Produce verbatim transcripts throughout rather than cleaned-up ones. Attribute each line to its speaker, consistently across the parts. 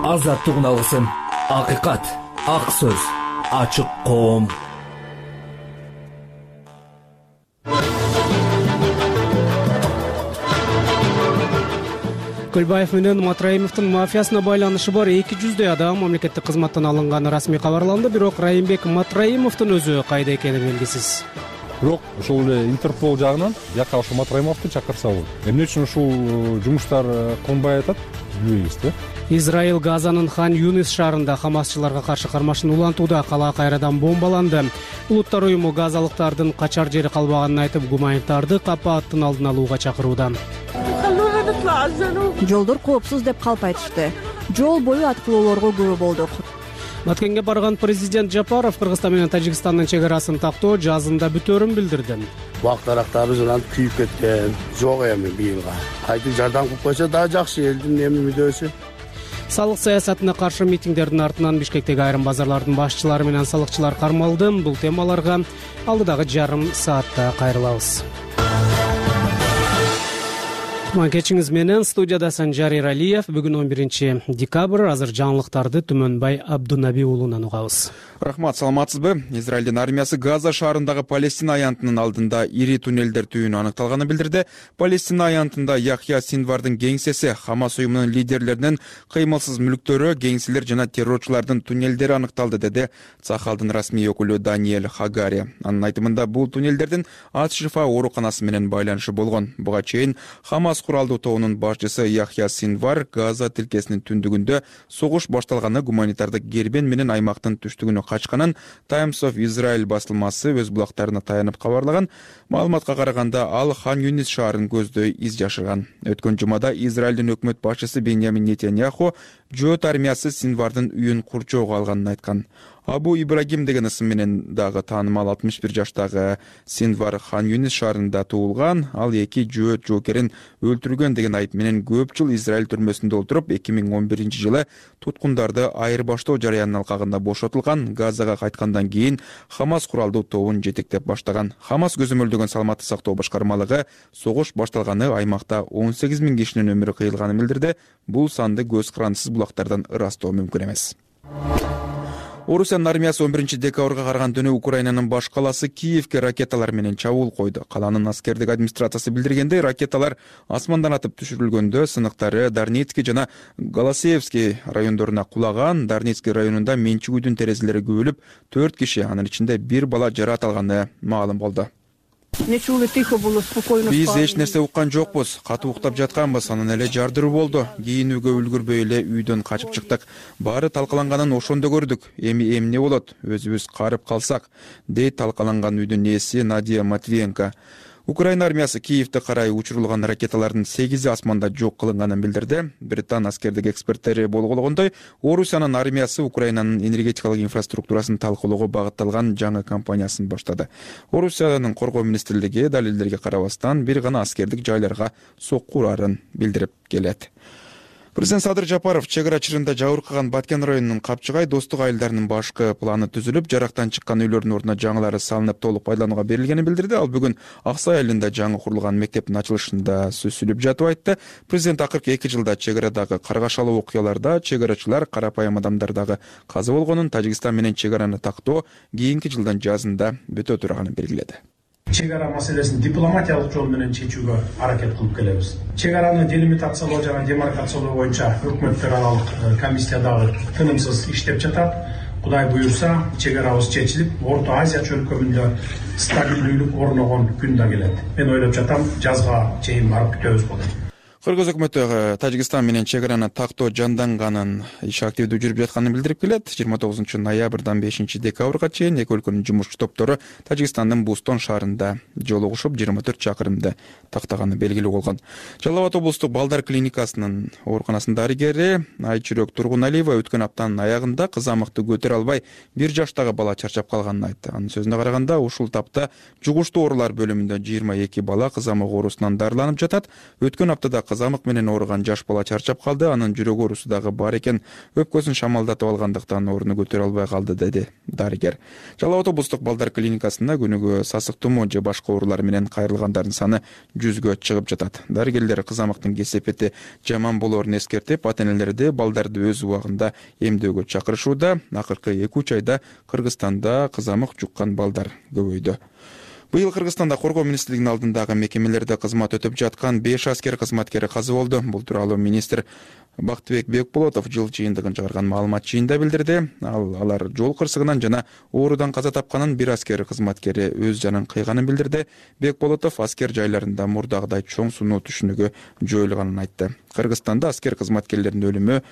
Speaker 1: азаттык алгысым, акыйкат, ак сөз, ачык коом.
Speaker 2: Көлбаев менен Матраимовдун мафиясына байланышы бар эки жүздөй адам мамлекеттик кызматтан алынганы расмий кабарланды, бирок Райымбек Матраимовдун өзү кайда экени белгисиз.
Speaker 3: Бирок ушул эле Интерпол жагынан жака ошо Матраимовду чакырса болот. Эмне үчүн ушул жумуштар кылынбай атат билбейбиз да.
Speaker 2: Израиль Газанын Хан Юнис шаарында хамасчыларга каршы кармашын улантууда, кала кайрадан бомбаланды. Улуттар уюму газалыктардын качар жери калбаганын айтып, гуманитардык апаттын алдын алууга чакырууда.
Speaker 4: Жолдор коопсуз деп калп айтышты. Жол бою аткылоолорго күбө болдук.
Speaker 2: Маткенге барган президент Жапаров Кыргызстан менен Тажикстандын чек арасын тактоо жазында бүтөөрүн билдирди.
Speaker 5: Бактарактарыбыз анан күйүп кеткен. Жок эми быйылга. Кайтып жардам кылып койсо дагы жакшы, элдин эми мүдөөсү.
Speaker 2: Салык саясатына каршы митингдердин артынан Бишкектеги айрым базарлардын башчылары менен салыкчылар кармалды. Бул темаларга алдыдагы жарым саатта кайрылабыз. Кечиңиз менен студияда Санжар Иралиев. Бүгүн он биринчи декабрь. Азыр жаңылыктарды Түмөнбай Абдунаби уулунан угабыз.
Speaker 6: Рахмат, саламатсызбы? Израилдин армиясы Газа шаарындагы Палестина аянтынын алдында ири туннелдер түйүүнү аныкталганын билдирди. Палестина аянтында Яхья Синвардын кеңсеси, Хамас уюмунун лидерлеринин кыймылсыз мүлктөрү, кеңселер жана террорчулардын туннелдери аныкталды, деди Цахалдын расмий өкүлү Даниэль Хагари. Анын айтымында бул туннелдердин Ат-Шифа ооруканасы менен байланышы болгон. Буга чейин Хамас куралдуу тобунун башчысы Яхья Синвар Газа тилкесинин түндүгүндө согуш башталганы гуманитардык кербен менен аймактын түштүгүнө качканын Times of Israel басылмасы өз булактарына таянып кабарлаган. Маалыматка караганда ал Хан Юнис шаарын көздөй из жашырган. Өткөн жумада Израилдин өкмөт башчысы Беньямин Нетаньяху жөөт армиясы Синвардын үйүн курчоого алганын айткан. Абу Ибрагим деген ысым менен дагы таанымал алтымыш бир жаштагы Синвар Хан Юнис шаарында туулган. Ал эки жөөт жоокерин өлтүргөн деген айып менен көп жыл Израиль түрмөсүндө отуруп, эки миң он биринчи жылы туткундарды айырбаштоо жарыянын алкагында бошотулган. Газага кайткандан кийин Хамас куралдуу тобун жетектеп баштаган. Хамас көзөмөлдөгөн саламаттык сактоо башкармалыгы согуш башталганы аймакта он сегиз миң кишинин өмүрү кыйылганын билдирди. Бул санды көз карандысыз булактардан ырастоо мүмкүн эмес. Орусиянын армиясы он биринчи декабрга караган түнү Украинанын баш каласы Киевке ракеталар менен чабуул койду. Каланын аскердик администрациясы билдиргендей, ракеталар асмандан атып түшүрүлгөндө сыныктары Дарницкий жана Голосеевский райондоруна кулаган. Дарницкий районунда менчик үйдүн терезелери көбүлүп, төрт киши, анын ичинде бир бала жаракат алганы маалым болду. Биз эч нерсе уккан жокпуз, катуу уктап жатканбыз, анан эле жардыруу болду. Кийинүүгө үлгүрбөй эле үйдөн качып чыктык. Баары талкаланганын ошондо көрдүк. Эми эмне болот? Өзүбүз карып калсак, дейт талкаланган үйдүн ээси Надия Матвиенко. Украина армиясы Киевде карай учурулган ракеталардын сегизи асманда жок кылынганын билдирди. Британ аскердик эксперттери болгондой, Орусиянын армиясы Украинанын энергетикалык инфраструктурасын талкуулоого багытталган жаңы кампаниясын баштады. Орусиянын коргоо министрлиги далилдерге карабастан бир гана аскердик жайларга сокку урарын билдирип келет. Президент Садыр Жапаров чек ара чырында жабыркаган Баткен районунун Капчыгай достук айылдарынын башкы планы түзүлүп, жарактан чыккан үйлөрдүн ордуна жаңылары салынып толук пайдаланууга берилгенин билдирди. Ал бүгүн Аксай айылында жаңы курулган мектептин ачылышында сөз сүйлөп жатып айтты. Президент акыркы эки жылда чек арадагы каргашалуу окуяларда чек арачылар карапайым адамдар дагы каза болгонун, Тажикстан менен чек араны тактоо кийинки жылдын жазында бүтө тураганын белгиледи.
Speaker 7: Чек ара маселесин дипломатиялык жол менен чечүүгө аракет кылып келебиз. Чек араны делимитациялоо жана демаркациялоо боюнча өкмөттөр аралык комиссия дагы тынымсыз иштеп жатат. Кудай буюрса, чек арабыз чечилип, Орто Азия чөлкөмүндө стабилдүүлүк орногон күн да келет. Мен ойлоп жатам, жазга чейин барып күтөбүз болот.
Speaker 6: Кыргыз өкмөтү Тажикстан менен чек араны тактоо жанданганын, иш активдүү жүрүп жатканын билдирип келет. жыйырма тогузунчу ноябрдан бешинчи декабрга чейин эки өлкөнүн жумушчу топтору Тажикстандын Бустон шаарында жолугушуп, жыйырма төрт чакырымды тактаганы белгилүү болгон. Жалал Абад облустук балдар клиникасынын ооруканасынын дарыгери Айчүрөк Тургуналиева өткөн аптанын аягында кызамыкты көтөрө албай бир жаштагы бала чарчап калганын айтты. Анын сөзүнө караганда, ушул тапта жугуштуу оорулар бөлүмүндө жыйырма эки бала кызамык оорусунан дарыланып жатат. Өткөн аптада кызамык менен ооруган жаш бала чарчап калды. Анын жүрөк оорусу дагы бар экен. Өпкөсүн шамалдатып алгандыктан орну көтөрө албай калды, деди дарыгер. Жалал Абад облустук балдар клиникасына күнүгө сасык тумоо же башка оорулар менен кайрылгандардын саны жүзгө чыгып жатат. Дарыгерлер кызамыктын кесепети жаман болоорун эскертип, ата-энелерди балдарды өз убагында эмдөөгө чакырышууда. Акыркы эки үч айда Кыргызстанда кызамык жуккан балдар көбөйдү. Быйыл Кыргызстанда коргоо министрлигинин алдындагы мекемелерде кызмат өтөп жаткан беш аскер кызматкери каза болду. Бул тууралуу министр Бактыбек Бекболотов жыл жыйынтыгын чыгарган маалымат жыйында билдирди. Ал алар жол кырсыгынан жана оорудан каза тапканын, бир аскер кызматкери өз жанын кыйганын билдирди. Бекболотов аскер жайларында мурдагыдай чоң сунуу түшүнүгү жоюлганын айтты. Кыргызстанда аскер кызматкерлердин өлүмү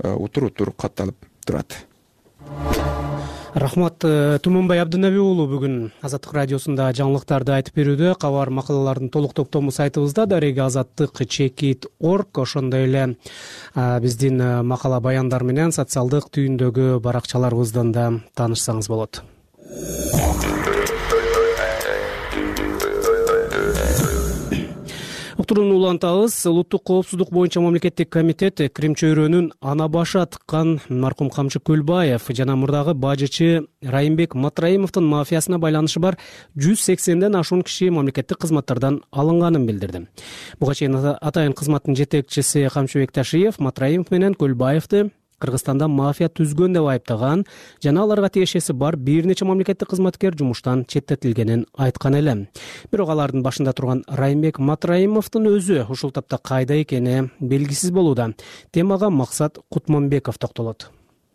Speaker 6: утур-утур катталып турат.
Speaker 2: Рахмат. Тумунбай Абдынаби уулу бүгүн Азаттык радиосунда жаңылыктарды айтып берүүдө. Кабар макалалардын толук топтому сайтыбызда дареги азаттык чекит точка орг, ошондой эле биздин макала баяндар менен социалдык түйүндөгү баракчаларыбыздан да таанышсаңыз болот. Уктурууну улантабыз. Улуттук коопсуздук боюнча мамлекеттик комитет Крим чөйрөнүн ана башы аткан маркум Камчы Көлбаев жана мурдагы бажычы Райымбек Матраимовдун мафиясына байланышы бар жүз сексенден ашуун киши мамлекеттик кызматтардан алынганын билдирди. Буга чейин атайын кызматтын жетекчиси Камчыбек Ташиев Матраимов менен Көлбаевди Кыргызстанда мафия түзгөн деп айыптаган жана аларга тиешеси бар бир нече мамлекеттик кызматкер жумуштан четтетилгенин айткан эле. Бирок алардын башында турган Райымбек Матраимовдун өзү ушул тапта кайда экени белгисиз болууда. Темага Максат Кутманбеков токтолот.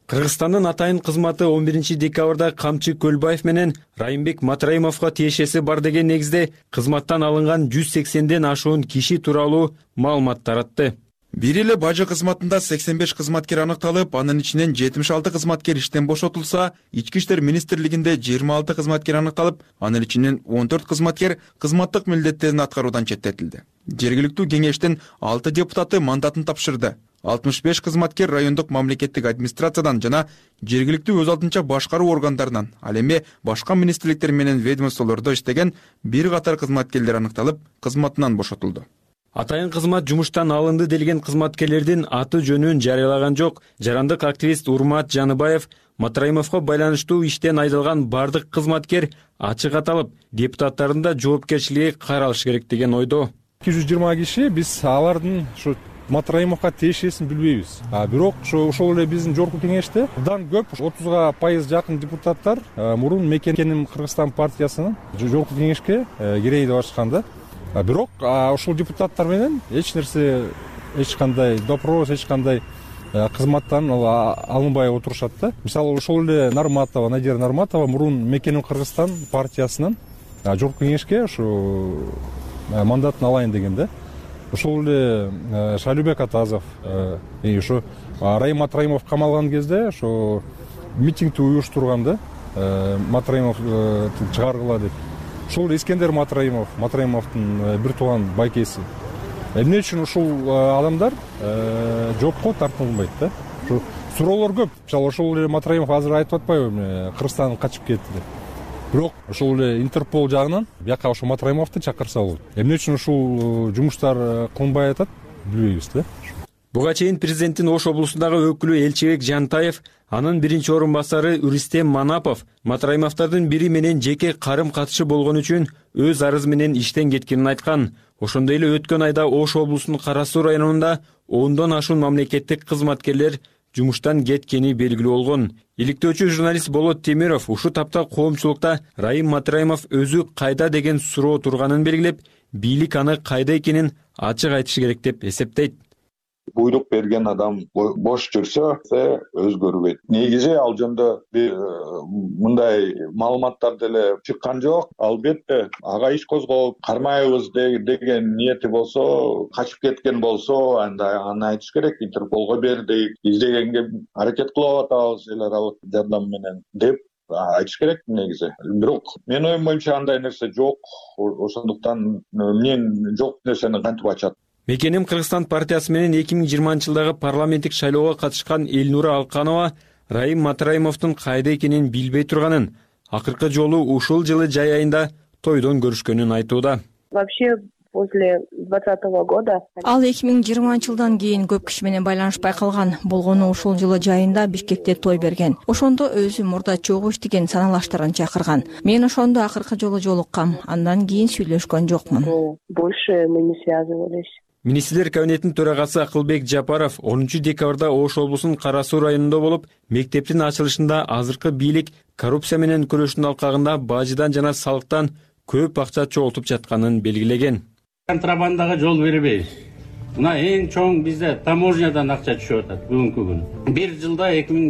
Speaker 8: Кыргызстандын атайын кызматы он биринчи декабрда Камчы Көлбаев менен Райымбек Матраимовго тиешеси бар деген негизде кызматтан алынган жүз сексенден ашуун киши тууралуу маалымат таратты.
Speaker 6: Бир эле бажы кызматында сексен беш кызматкер аныкталып, анын ичинен жетимиш алты кызматкер иштен бошотулса, Ички иштер министрлигинде жыйырма алты кызматкер аныкталып, анын ичинен он төрт кызматкер кызматтык милдеттерин аткаруудан четтетилди. Жергиликтүү кеңештин алты депутаты мандатын тапшырды. алтымыш беш кызматкер райондук мамлекеттик администрациядан жана жергиликтүү өз алдынча башкаруу органдарынан, ал эми башка министрликтер менен ведомстволордо иштеген бир катар кызматкерлер аныкталып, кызматынан бошотулду.
Speaker 8: Атайын кызмат жумуштан алынды делген кызматкерлердин аты жөнүн жарыялаган жок. Жарандык активист Урмат Жаныбаев Матраимовго байланыштуу иштен айдалган бардык кызматкер ачык аталып, депутаттардын да жоопкерчилиги каралыш керек деген ойдо.
Speaker 3: эки жүз жыйырма киши биз алардын ушу Матраимовго тиешесин билбейбиз. А бирок ошол эле биздин жогорку кеңеште мындан көп отузга пайыз жакын депутаттар мурун мекеним Кыргызстан партиясынын жогорку кеңешке кирейин деп ачкан да. Бирок ошол депутаттар менен эч нерсе, эч кандай допрос, эч кандай кызматтан алынбай отурушат да. Мисалы ошол эле Нарматова, Надира Нарматова мурун Мекеним Кыргызстан партиясынын жогорку кеңешке ушу мандатын алайын деген да. Ошол эле Шайлубек Атазов, ушу Райым Матраимов камалган кезде ошо митингди уюштурган да. Матраимов чыгаргыла деп. Ушул Искендер Матраимов, Матраимовдун бир тууган байкеси. Эмне үчүн ушул адамдар жоопко тартылбайт да? Ушу суроолор көп. Мисалы ошол эле Матраимов азыр айтып атпайбы, Кыргызстандан качып кетти деп. Бирок ошол эле Интерпол жагынан бияка ошо Матраимовду чакырса болот. Эмне үчүн ушул жумуштар кылынбай атат, билбейбиз да.
Speaker 8: Буга чейин президенттин Ош облусундагы өкүлү Элчебек Жантаев, анын биринчи орун басары Рустем Манапов Матраимовдордун бири менен жеке карым катышы болгон үчүн өз арызы менен иштен кеткенин айткан. Ошондой эле өткөн айда Ош облусунун Кара Суу районунда ондон ашуун мамлекеттик кызматкерлер жумуштан кеткени белгилүү болгон. Иликтөөчү журналист Болот Темиров ушул тапта коомчулукта Райым Матраимов өзү кайда деген суроо турганын белгилеп, бийлик аны кайда экенин ачык айтышы керек деп эсептейт.
Speaker 9: Буйрук берген адам бош жүрсө өзгөрбөйт. Негизи ал жөнүндө мындай маалыматтар деле чыккан жок. Албетте ага иш козгоп кармайбыз деген ниети болсо, качып кеткен болсо, анда аны айтыш керек. Интерполго бердик, издегенге аракет кылып атабыз эл аралык жардам менен деп айтыш керек негизи. Бирок менин оюм боюнча андай нерсе жок. Ошондуктан мен жок нерсени кантип ачат?
Speaker 8: Мекеним Кыргызстан партиясы менен эки миң жыйырманчы жылдагы парламенттик шайлоого катышкан Элнура Алканова Райым Матраимовдун кайда экенин билбей турганын, акыркы жолу ушул жылы жай айында тойдон көрүшкөнүн айтууда.
Speaker 10: Вообще после двадцатого года.
Speaker 4: Ал эки миң жыйырманчы жылдан кийин көп киши менен байланышпай калган. Болгону ушул жылы жайында Бишкекте той берген. Ошондо өзү мурда чогуу иштеген саналаштарын чакырган. Мен ошондо акыркы жолу жолуккам. Андан кийин сүйлөшкөн жокмун.
Speaker 10: Больше мы не связывались.
Speaker 8: Министрлер кабинетинин төрагасы Акылбек Жапаров онунчу декабрда Ош облусунун Кара Суу районунда болуп, мектептин ачылышында азыркы бийлик коррупция менен күрөштүн алкагында бажыдан жана салыктан көп акча чогултуп жатканын белгилеген.
Speaker 11: Контрабандага жол бербейбиз. Мына эң чоң бизде таможнядан акча түшүп атат бүгүнкү күнү. Бир жылда эки миң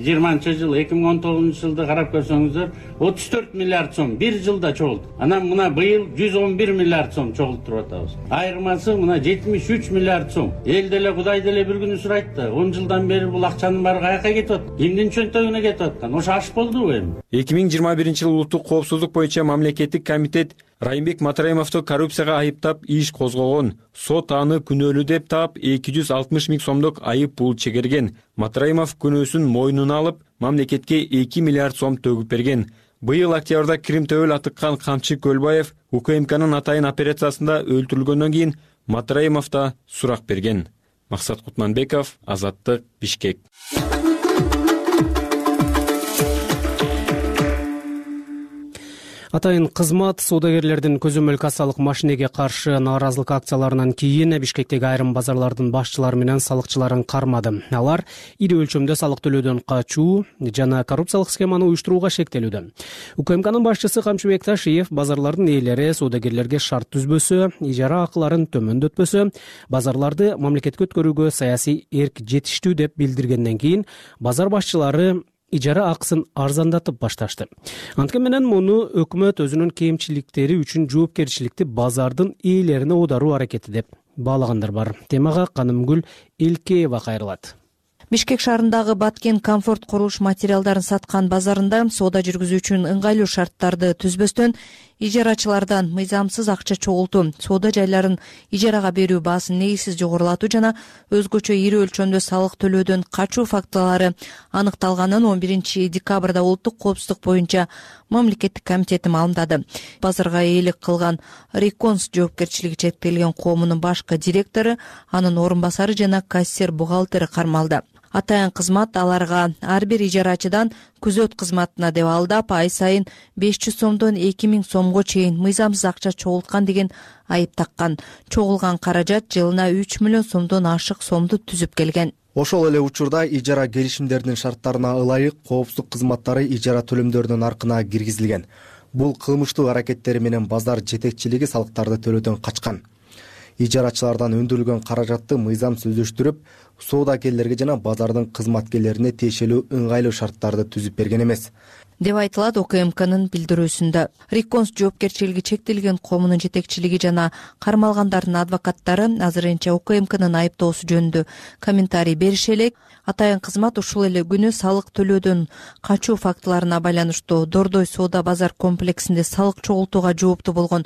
Speaker 11: жыйырманчы жыл, эки миң он тогузунчу жылды карап көрсөңүздөр, отуз төрт миллиард сом бир жылда чогулду. Анан мына быйыл жүз он бир миллиард сом чогултуруп атабыз. Айырмасы мына жетимиш үч миллиард сом. Эл деле Кудай деле бир күнү сурайт да, он жылдан бери бул акчанын баары каяка кетип атат? Кимдин чөнтөгүнө кетип аткан? Ошо аш болдубу эми?
Speaker 8: эки миң жыйырма биринчи жылы улуттук коопсуздук боюнча мамлекеттик комитет Райымбек Матраимовду коррупцияга айыптап иш козгогон. Сот аны күнөөлүү деп таап эки жүз алтымыш миң сомдук айып пул чегерген. Матраимов күнөөсүн мойнуна алып, мамлекетке эки миллиард сом төгүп берген. Быйыл октябрда Крим төбөл атыккан Камчы Көлбаев УКМКнын атайын операциясында өлтүрүлгөндөн кийин Матраимов да сурак берген. Максат Кутманбеков, Азаттык, Бишкек.
Speaker 2: Атайын кызмат соодагерлердин көзөмөл кассалык машинеге каршы нааразылык акцияларынан кийин Бишкектеги айрым базарлардын башчылары менен салыкчыларын кармады. Алар ири өлчөмдө салык төлөөдөн качуу жана коррупциялык схеманы уюштурууга шектелүүдө. УКМКнын башчысы Камчыбек Ташиев базарлардын ээлери соодагерлерге шарт түзбөсө, ижара акыларын төмөндөтпөсө, базарларды мамлекетке өткөрүүгө саясий эрк жетиштүү деп билдиргенден кийин базар башчылары ижара акысын арзандатып башташты. Анткени менен муну өкмөт өзүнүн кемчиликтери үчүн жоопкерчиликти базардын ээлерине оодаруу аракети деп баалагандар бар. Темага Канымгүл Элкеева кайрылат.
Speaker 4: Бишкек шаарындагы Баткен комфорт курулуш материалдарын саткан базарында соода жүргүзүү үчүн ыңгайлуу шарттарды түзбөстөн ижарачылардан мыйзамсыз акча чогултуу, соода жайларын ижарага берүү баасын негизсиз жогорулатуу жана өзгөчө ири өлчөмдө салык төлөөдөн качуу фактылары аныкталганын он биринчи декабрда улуттук коопсуздук боюнча мамлекеттик комитети маалымдады. Базарга ээлик кылган Реконс жоопкерчилиги чектелген коомунун башкы директору, анын орун басары жана кассир бухгалтери кармалды. Атайын кызмат аларга ар бир ижарачыдан күзөт кызматына деп алдап, ай сайын беш жүз сомдон эки миң сомго чейин мыйзамсыз акча чогулткан деген айып таккан. Чогулган каражат жылына үч миллион сомдон ашык сомду түзүп келген.
Speaker 12: Ошол эле учурда ижара келишимдеринин шарттарына ылайык коопсуздук кызматтары ижара төлөмдөрүнүн аркына киргизилген. Бул кылмыштуу аракеттери менен базар жетекчилиги салыктарды төлөөдөн качкан. Ижарачылардан өндүрүлгөн каражатты мыйзамсыз өздөштүрүп, соодагерлерге жана базардын кызматкерлерине тиешелүү ыңгайлуу шарттарды түзүп берген эмес
Speaker 4: деп айтылат УКМКнын билдирүүсүндө. Реконс жоопкерчилиги чектелген коомунун жетекчилиги жана кармалгандардын адвокаттары азырынча УКМКнын айыптоосу жөнүндө комментарий берише элек. Атайын кызмат ушул эле күнү салык төлөөдөн качуу фактыларына байланыштуу Дордой соода базар комплексинде салык чогултууга жооптуу болгон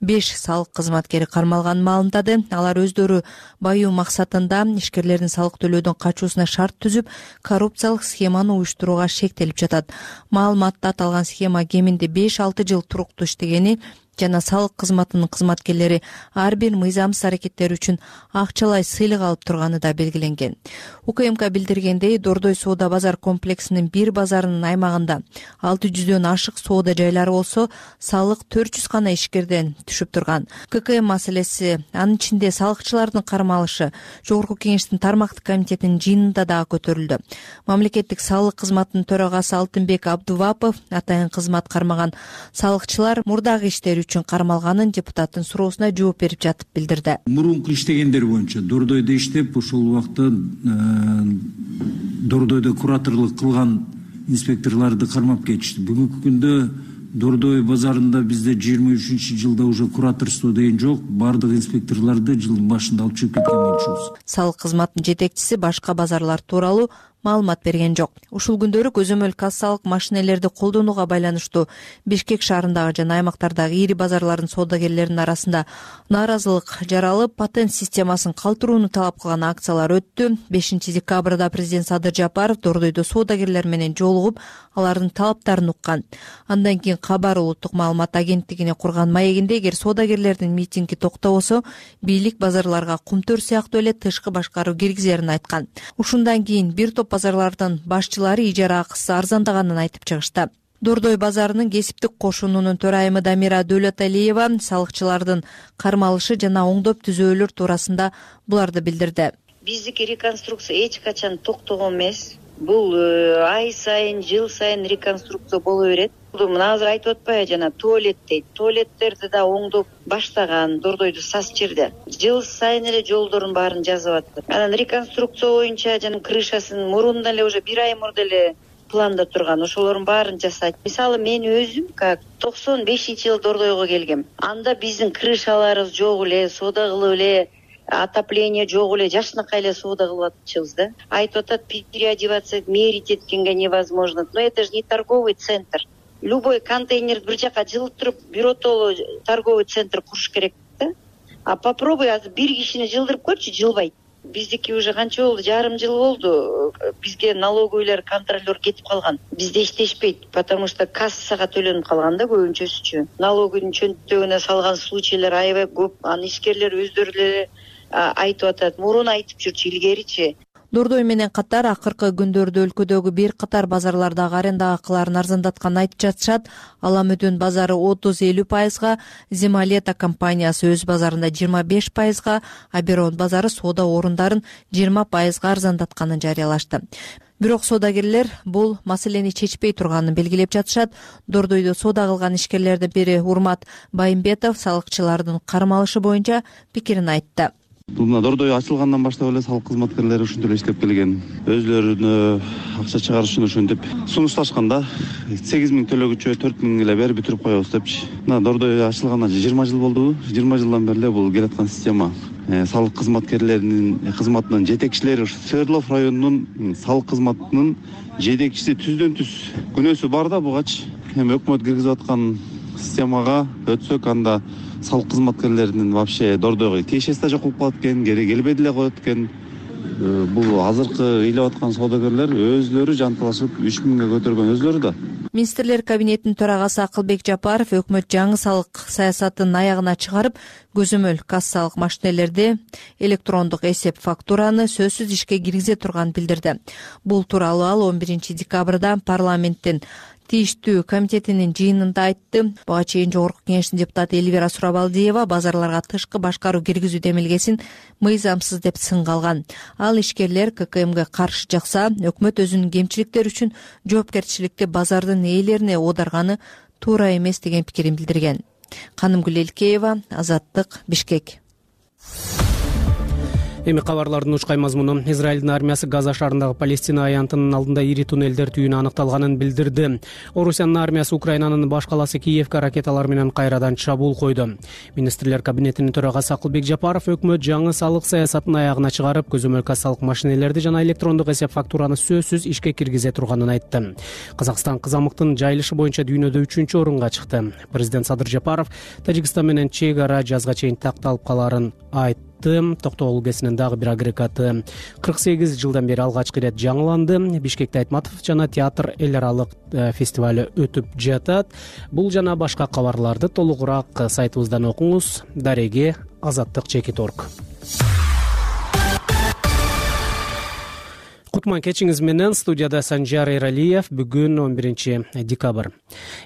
Speaker 4: беш салык кызматкери кармалганын маалымдады. Алар өздөрү баюу максатында ишкерлердин салык төлөөдөн качуусуна шарт түзүп, коррупциялык схеманы уюштурууга шектелип жатат. Маалыматта аталган схема кеминде беш алты жыл туруктуу иштегени жана салык кызматынын кызматкерлери ар бир мыйзамсыз аракеттер үчүн акчалай сыйлык алып турганы да белгиленген. УКМК билдиргендей, Дордой соода базар комплексинин бир базарынын аймагында алты жүздөн ашык соода жайлары болсо, салык төрт жүз гана ишкерден түшүп турган. ККМ маселеси, анын ичинде салыкчылардын кармалышы Жогорку Кеңештин тармактык комитетинин жыйынында дагы көтөрүлдү. Мамлекеттик салык кызматынын төрагасы Алтынбек Абдувапов атайын кызмат кармаган салыкчылар мурдагы иштери үчүн кармалганын депутаттын суроосуна жооп берип жатып билдирди.
Speaker 13: Мурунку иштегендер боюнча Дордойдо иштеп, ошол убакта Дордойдо кураторлук кылган инспекторлорду кармап кетишти. Бүгүнкү күндө Дордой базарында бизде жыйырма үчүнчү жылда уже кураторство деген жок. Бардык инспекторлорду жылдын башында алып чыгып кеткен болчубуз.
Speaker 4: Салык кызматынын жетекчиси башка базарлар тууралуу маалымат берген жок. Ушул күндөрү көзөмөл кассалык машинелерди колдонууга байланыштуу Бишкек шаарындагы жана аймактардагы ири базарлардын соодагерлеринин арасында нааразылык жаралып, патент системасын калтырууну талап кылган акциялар өттү. бешинчи декабрда президент Садыр Жапаров Дордойдо соодагерлер менен жолугуп, алардын талаптарын уккан. Андан кийин Кабар улуттук маалымат агенттигине курган маегинде эгер соодагерлердин митинги токтобосо, бийлик базарларга кумтөр сыяктуу эле тышкы башкаруу киргизерин айткан. Ушундан кийин бир топ базарлардын башчылары ижара акысы арзандаганын айтып чыгышты. Дордой базарынын кесиптик кошунунун төрайымы Дамира Дөлөталиева салыкчылардын кармалышы жана оңдоп түзөөлөр туурасында буларды билдирди.
Speaker 14: Биздики реконструкция эч качан токтогон эмес. Бул ай сайын, жыл сайын реконструкция боло берет. Мына азыр айтып атпайбы, жана туалет дейт. Туалеттерди да оңдоп баштаган Дордойду сас жерде. Жыл сайын эле жолдордун баарын жазып атты. Анан реконструкция боюнча жана крышасын мурунда эле уже бир ай мурда эле планда турган. Ошолордун баарын жасайт. Мисалы мен өзүм как токсон бешинчи жылы Дордойго келгем. Анда биздин крышаларыбыз жок эле, соода кылып эле, отопление жок эле, жашынакай эле соода кылып атчыбыз да. Айтып атат, переодеваться, мерить эткенге невозможно. Но это же не торговый центр. Любой контейнерди бир жака жылыттырып, биротоло торговый центр куруш керек да. А попробуй азыр бир кишини жылдырып көрчү, жылбайт. Биздики уже канча болду? Жарым жыл болду. Бизге налоговыйлар, контролер кетип калган. Бизде иштешпейт, потому что кассага төлөнүп калган да көбүнчөсүчү. Налоговдун чөнтөгүнө салган случайлар аябай көп. Аны ишкерлер өздөрү эле айтып атат. Мурун айтып жүрчү, илгеричи.
Speaker 4: Дордой менен катар акыркы күндөрдө өлкөдөгү бир катар базарлардагы аренда акыларын арзандатканын айтып жатышат. Аламөдөн базары отуз элүү пайызга, Земалета компаниясы өз базарында жыйырма беш пайызга, Аберон базары соода орундарын жыйырма пайызга арзандатканын жарыялашты. Бирок соодагерлер бул маселени чечпей турганын белгилеп жатышат. Дордойдо соода кылган ишкерлердин бири Урмат Байымбетов салыкчылардын кармалышы боюнча пикирин айтты.
Speaker 15: Бул мына Дордой ачылгандан баштап эле салык кызматкерлери ушинтип эле иштеп келген. Өзлөрүнө акча чыгарыш үчүн ушинтип сунушташканда сегиз миң төлөгүчө төрт миң эле берип бүтүрүп коебуз депчи. Мына Дордой ачылганына жыйырма жыл болду. жыйырма жылдан бери эле бул келаткан система. Салык кызматкерлеринин кызматынын жетекчилери Свердлов районунун салык кызматынын жетекчиси түздөн түз күнөөсү бар да бугачы. Эми өкмөт киргизип аткан системага өтсөк, анда салык кызматкерлеринин вообще Дордойго тиешеси да жок болуп калат экен, кери келбей деле коет экен. Бул азыркы ыйлап аткан соодагерлер өзлөрү жанталашып үч миңге көтөргөн өзлөрү да.
Speaker 4: Министрлер кабинетинин төрагасы Акылбек Жапаров өкмөт жаңы салык саясатын аягына чыгарып, көзөмөл кассалык машинелерди, электрондук эсеп фактураны сөзсүз ишке киргизе турганын билдирди. Бул тууралуу ал он биринчи декабрда парламенттин тийиштүү комитетинин жыйынында айтты. Буга чейин Жогорку кеңештин депутаты Элвира Сурабалдиева базарларга тышкы башкаруу киргизүү демилгесин мыйзамсыз деп сынга алган. Ал ишкерлер ККМге каршы жакса, өкмөт өзүнүн кемчиликтери үчүн жоопкерчиликти базардын ээлерине оодарганы туура эмес деген пикирин билдирген. Канымгүл Элкеева, Азаттык, Бишкек.
Speaker 2: Эми кабарлардын учкай мазмуну. Израилдин армиясы Газа шаарындагы Палестина аянтынын алдында ири туннелдер түйүүнү аныкталганын билдирди. Орусиянын армиясы Украинанын баш каласы Киевке ракеталар менен кайрадан чабуул койду. Министрлер кабинетинин төрагасы Акылбек Жапаров өкмөт жаңы салык саясатын аягына чыгарып, көзөмөл кассалык машинелерди жана электрондук эсеп фактураны сөзсүз ишке киргизе турганын айтты. Казакстан кызамыктын жайылышы боюнча дүйнөдө үчүнчү орунга чыкты. Президент Садыр Жапаров Тажикстан менен чек ара жазга чейин такталып каларын айтты. Токтогул өлкесинин дагы бир агрегаты кырк сегиз жылдан бери алгачкы ирет жаңыланды. Бишкекте Айтматов жана театр эл аралык фестивалы өтүп жатат. Бул жана башка кабарларды толугураак сайтыбыздан окуңуз. Дареге Азаттык чекит точка орг. Кутман кечиңиз менен студияда Санжар Эралиев. Бүгүн он биринчи декабрь.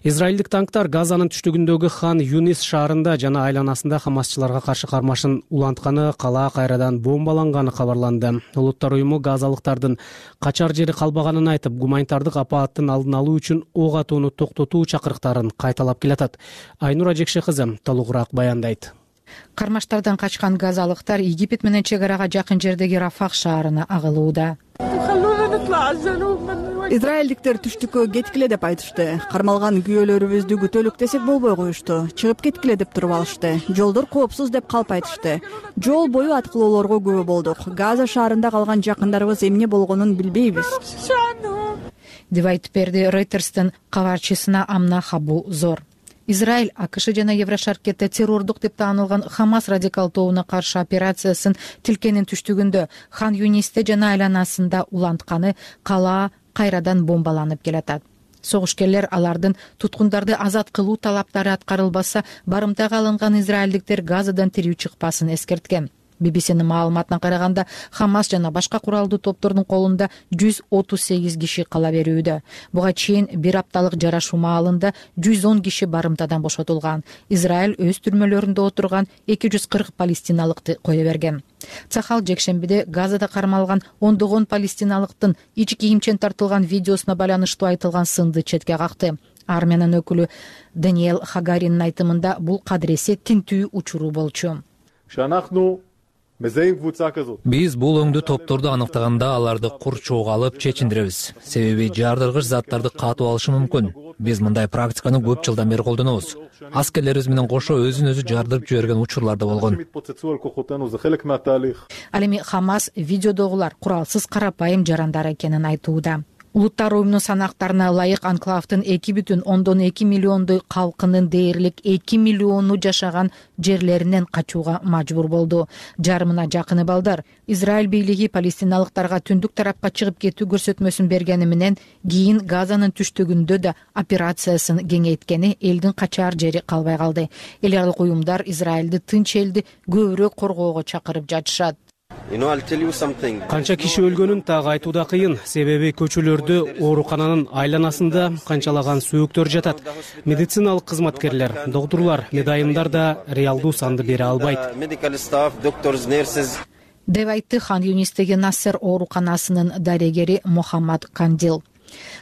Speaker 2: Израилдик танктар Газанын түштүгүндөгү Хан Юнис шаарында жана айланасында хамасчыларга каршы кармашын улантканы, кала кайрадан бомбаланганы кабарланды. Улуттар уюму газалыктардын качар жери калбаганын айтып, гуманитардык апааттын алдын алуу үчүн ок атууну токтотуу чакырыктарын кайталап келатат. Айнура Жекше кызы толугураак баяндайт.
Speaker 16: Кармаштардан качкан газалыктар Египет менен чек арага жакын жердеги Рафах шаарына агылууда. Израилдиктер түштүккө кеткиле деп айтышты. Кармалган күйөөлөрүбүздү күтөлүк десек болбой коюшту. Чыгып кеткиле деп туруп алышты. Жолдор коопсуз деп калп айтышты. Жол бою аткылоолорго күбө болдук. Газа шаарында калган жакындарыбыз эмне болгонун билбейбиз,
Speaker 17: деп айтып берди Рейтерстин кабарчысына Амна Хабу Зор. Израиль АКШ жана Еврошаркетте террордук деп таанылган Хамас радикал тобуна каршы операциясын тилкенин түштүгүндө Хан Юнисте жана айланасында улантканы кала кайрадан бомбаланып келатат. Согушкерлер алардын туткундарды азат кылуу талаптары аткарылбаса, барымтага алынган израилдиктер Газадан тирүү чыкпасын эскерткен. би би синин маалыматына караганда, Хамас жана башка куралдуу топтордун колунда жүз отуз сегиз киши кала берүүдө. Буга чейин бир апталык жарашуу маалында жүз он киши барымтадан бошотулган. Израиль өз түрмөлөрүндө отурган эки жүз кырк палестиналыкты кое берген. Цахал жекшембиде Газада кармалган ондогон палестиналыктын ич кийимчен тартылган видеосуна байланыштуу айтылган сынды четке какты. Армиянын өкүлү Даниэл Хагаринин айтымында бул кадыресе тинтүү учуру болчу.
Speaker 1: Биз бул өңдүү топторду аныктаганда аларды курчоого алып чечиндиребиз. Себеби жардыргыч заттарды катып алышы мүмкүн. Биз мындай практиканы көп жылдан бери колдонобуз. Аскерлерибиз менен кошо өзүн өзү жардырып жиберген учурлар да болгон.
Speaker 17: Ал эми Хамас видеодогулар куралсыз карапайым жарандар экенин айтууда. Улуттар уюмунун санактарына ылайык анклавдын эки бүтүн ондон эки миллиондой калкынын дээрлик эки миллиону жашаган жерлеринен качууга мажбур болду. Жарымына жакыны балдар Израиль бийлиги палестиналыктарга түндүк тарапка чыгып кетүү көрсөтмөсүн бергени менен кийин Газанын түштүгүндө да операциясын кеңейткени элдин качаар жери калбай калды. Эл аралык уюмдар Израилди тынч элди көбүрөөк коргоого чакырып жатышат.
Speaker 2: Канча киши өлгөнүн так айтууда кыйын, себеби көчөлөрдө оорукананын айланасында канчалаган сөөктөр жатат. Медициналык кызматкерлер, доктурлар, медайымдар да реалдуу санды бере албайт,
Speaker 17: деп айтты Хан Юнистеги Нассер ооруканасынын дарегери Мохаммад Кандил.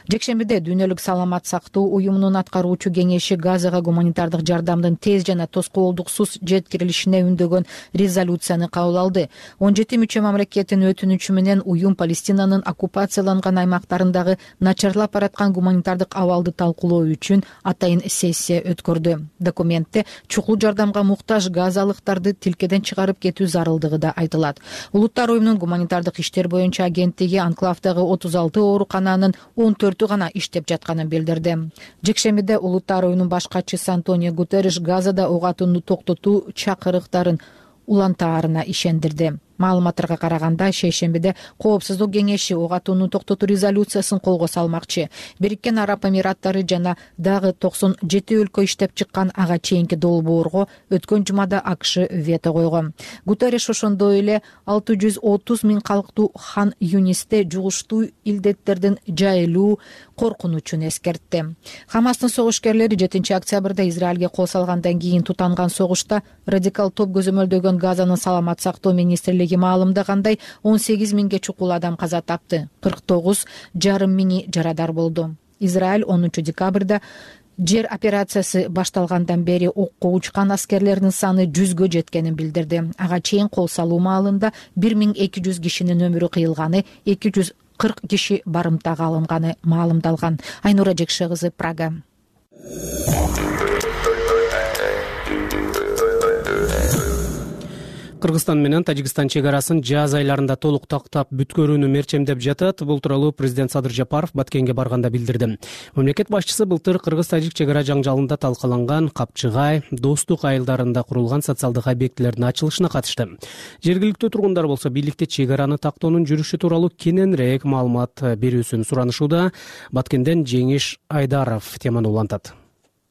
Speaker 17: Жекшембиде Дүйнөлүк саламат сактоо уюмунун аткаруучу кеңеши Газага гуманитардык жардамдын тез жана тоскоолдуксуз жеткирилишине үндөгөн резолюцияны кабыл алды. он жети мүчө мамлекеттин өтүнүчү менен уюм Палестинанын оккупацияланган аймактарындагы начарлап бараткан гуманитардык абалды талкуулоо үчүн атайын сессия өткөрдү. Документте чукул жардамга муктаж газалыктарды тилкеден чыгарып кетүү зарылдыгы да айтылат. Улуттар уюмунун гуманитардык иштер боюнча агенттиги анклавдагы отуз алты оорукананын он төртү гана иштеп жатканын билдирди. Жекшембиде Улуттар уюмунун баш катчысы Антонио Гутерриш Газада ок атууну токтотуу чакырыктарын улантаарына ишендирди. Маалыматтарга караганда, шейшембиде Коопсуздук кеңеши ок атууну токтотуу резолюциясын колго салмакчы. Бириккен Араб Эмираттары жана дагы токсон жети өлкө иштеп чыккан ага чейинки долбоорго өткөн жумада АКШ вето койгон. Гутерриш ошондой эле алты жүз отуз миң калктуу Хан Юнисте жугуштуу илдеттердин жайылуу коркунучун эскертти. Хамастын согушкерлери жетинчи октябрда Израилге кол салгандан кийин тутанган согушта радикал топ көзөмөлдөгөн Газанын саламат сактоо министрлиги маалымдагандай он сегиз миңге чукул адам каза тапты, кырк тогуз жарым миңи жарадар болду. Израиль онунчу декабрда жер операциясы башталгандан бери окко учкан аскерлердин саны жүзгө жеткенин билдирди. Ага чейин кол салуу маалында бир миң эки жүз кишинин өмүрү кыйылганы, эки жүз кырк киши барымтага алынганы маалымдалган. Айнура Жекше кызы, Прага.
Speaker 2: Кыргызстан менен Тажикстан чек арасын жаз айларында толук тактап бүткөрүүнү мерчемдеп жатат. Бул тууралуу президент Садыр Жапаров Баткенге барганда билдирди. Мамлекет башчысы былтыр Кыргыз-Тажик чек ара жаңжалында талкаланган Капчыгай, Достук айылдарында курулган социалдык объектилердин ачылышына катышты. Жергиликтүү тургундар болсо бийликте чек араны тактоонун жүрүшү тууралуу кененирээк маалымат берүүсүн суранышууда. Баткенден Жеңиш Айдаров теманы улантат.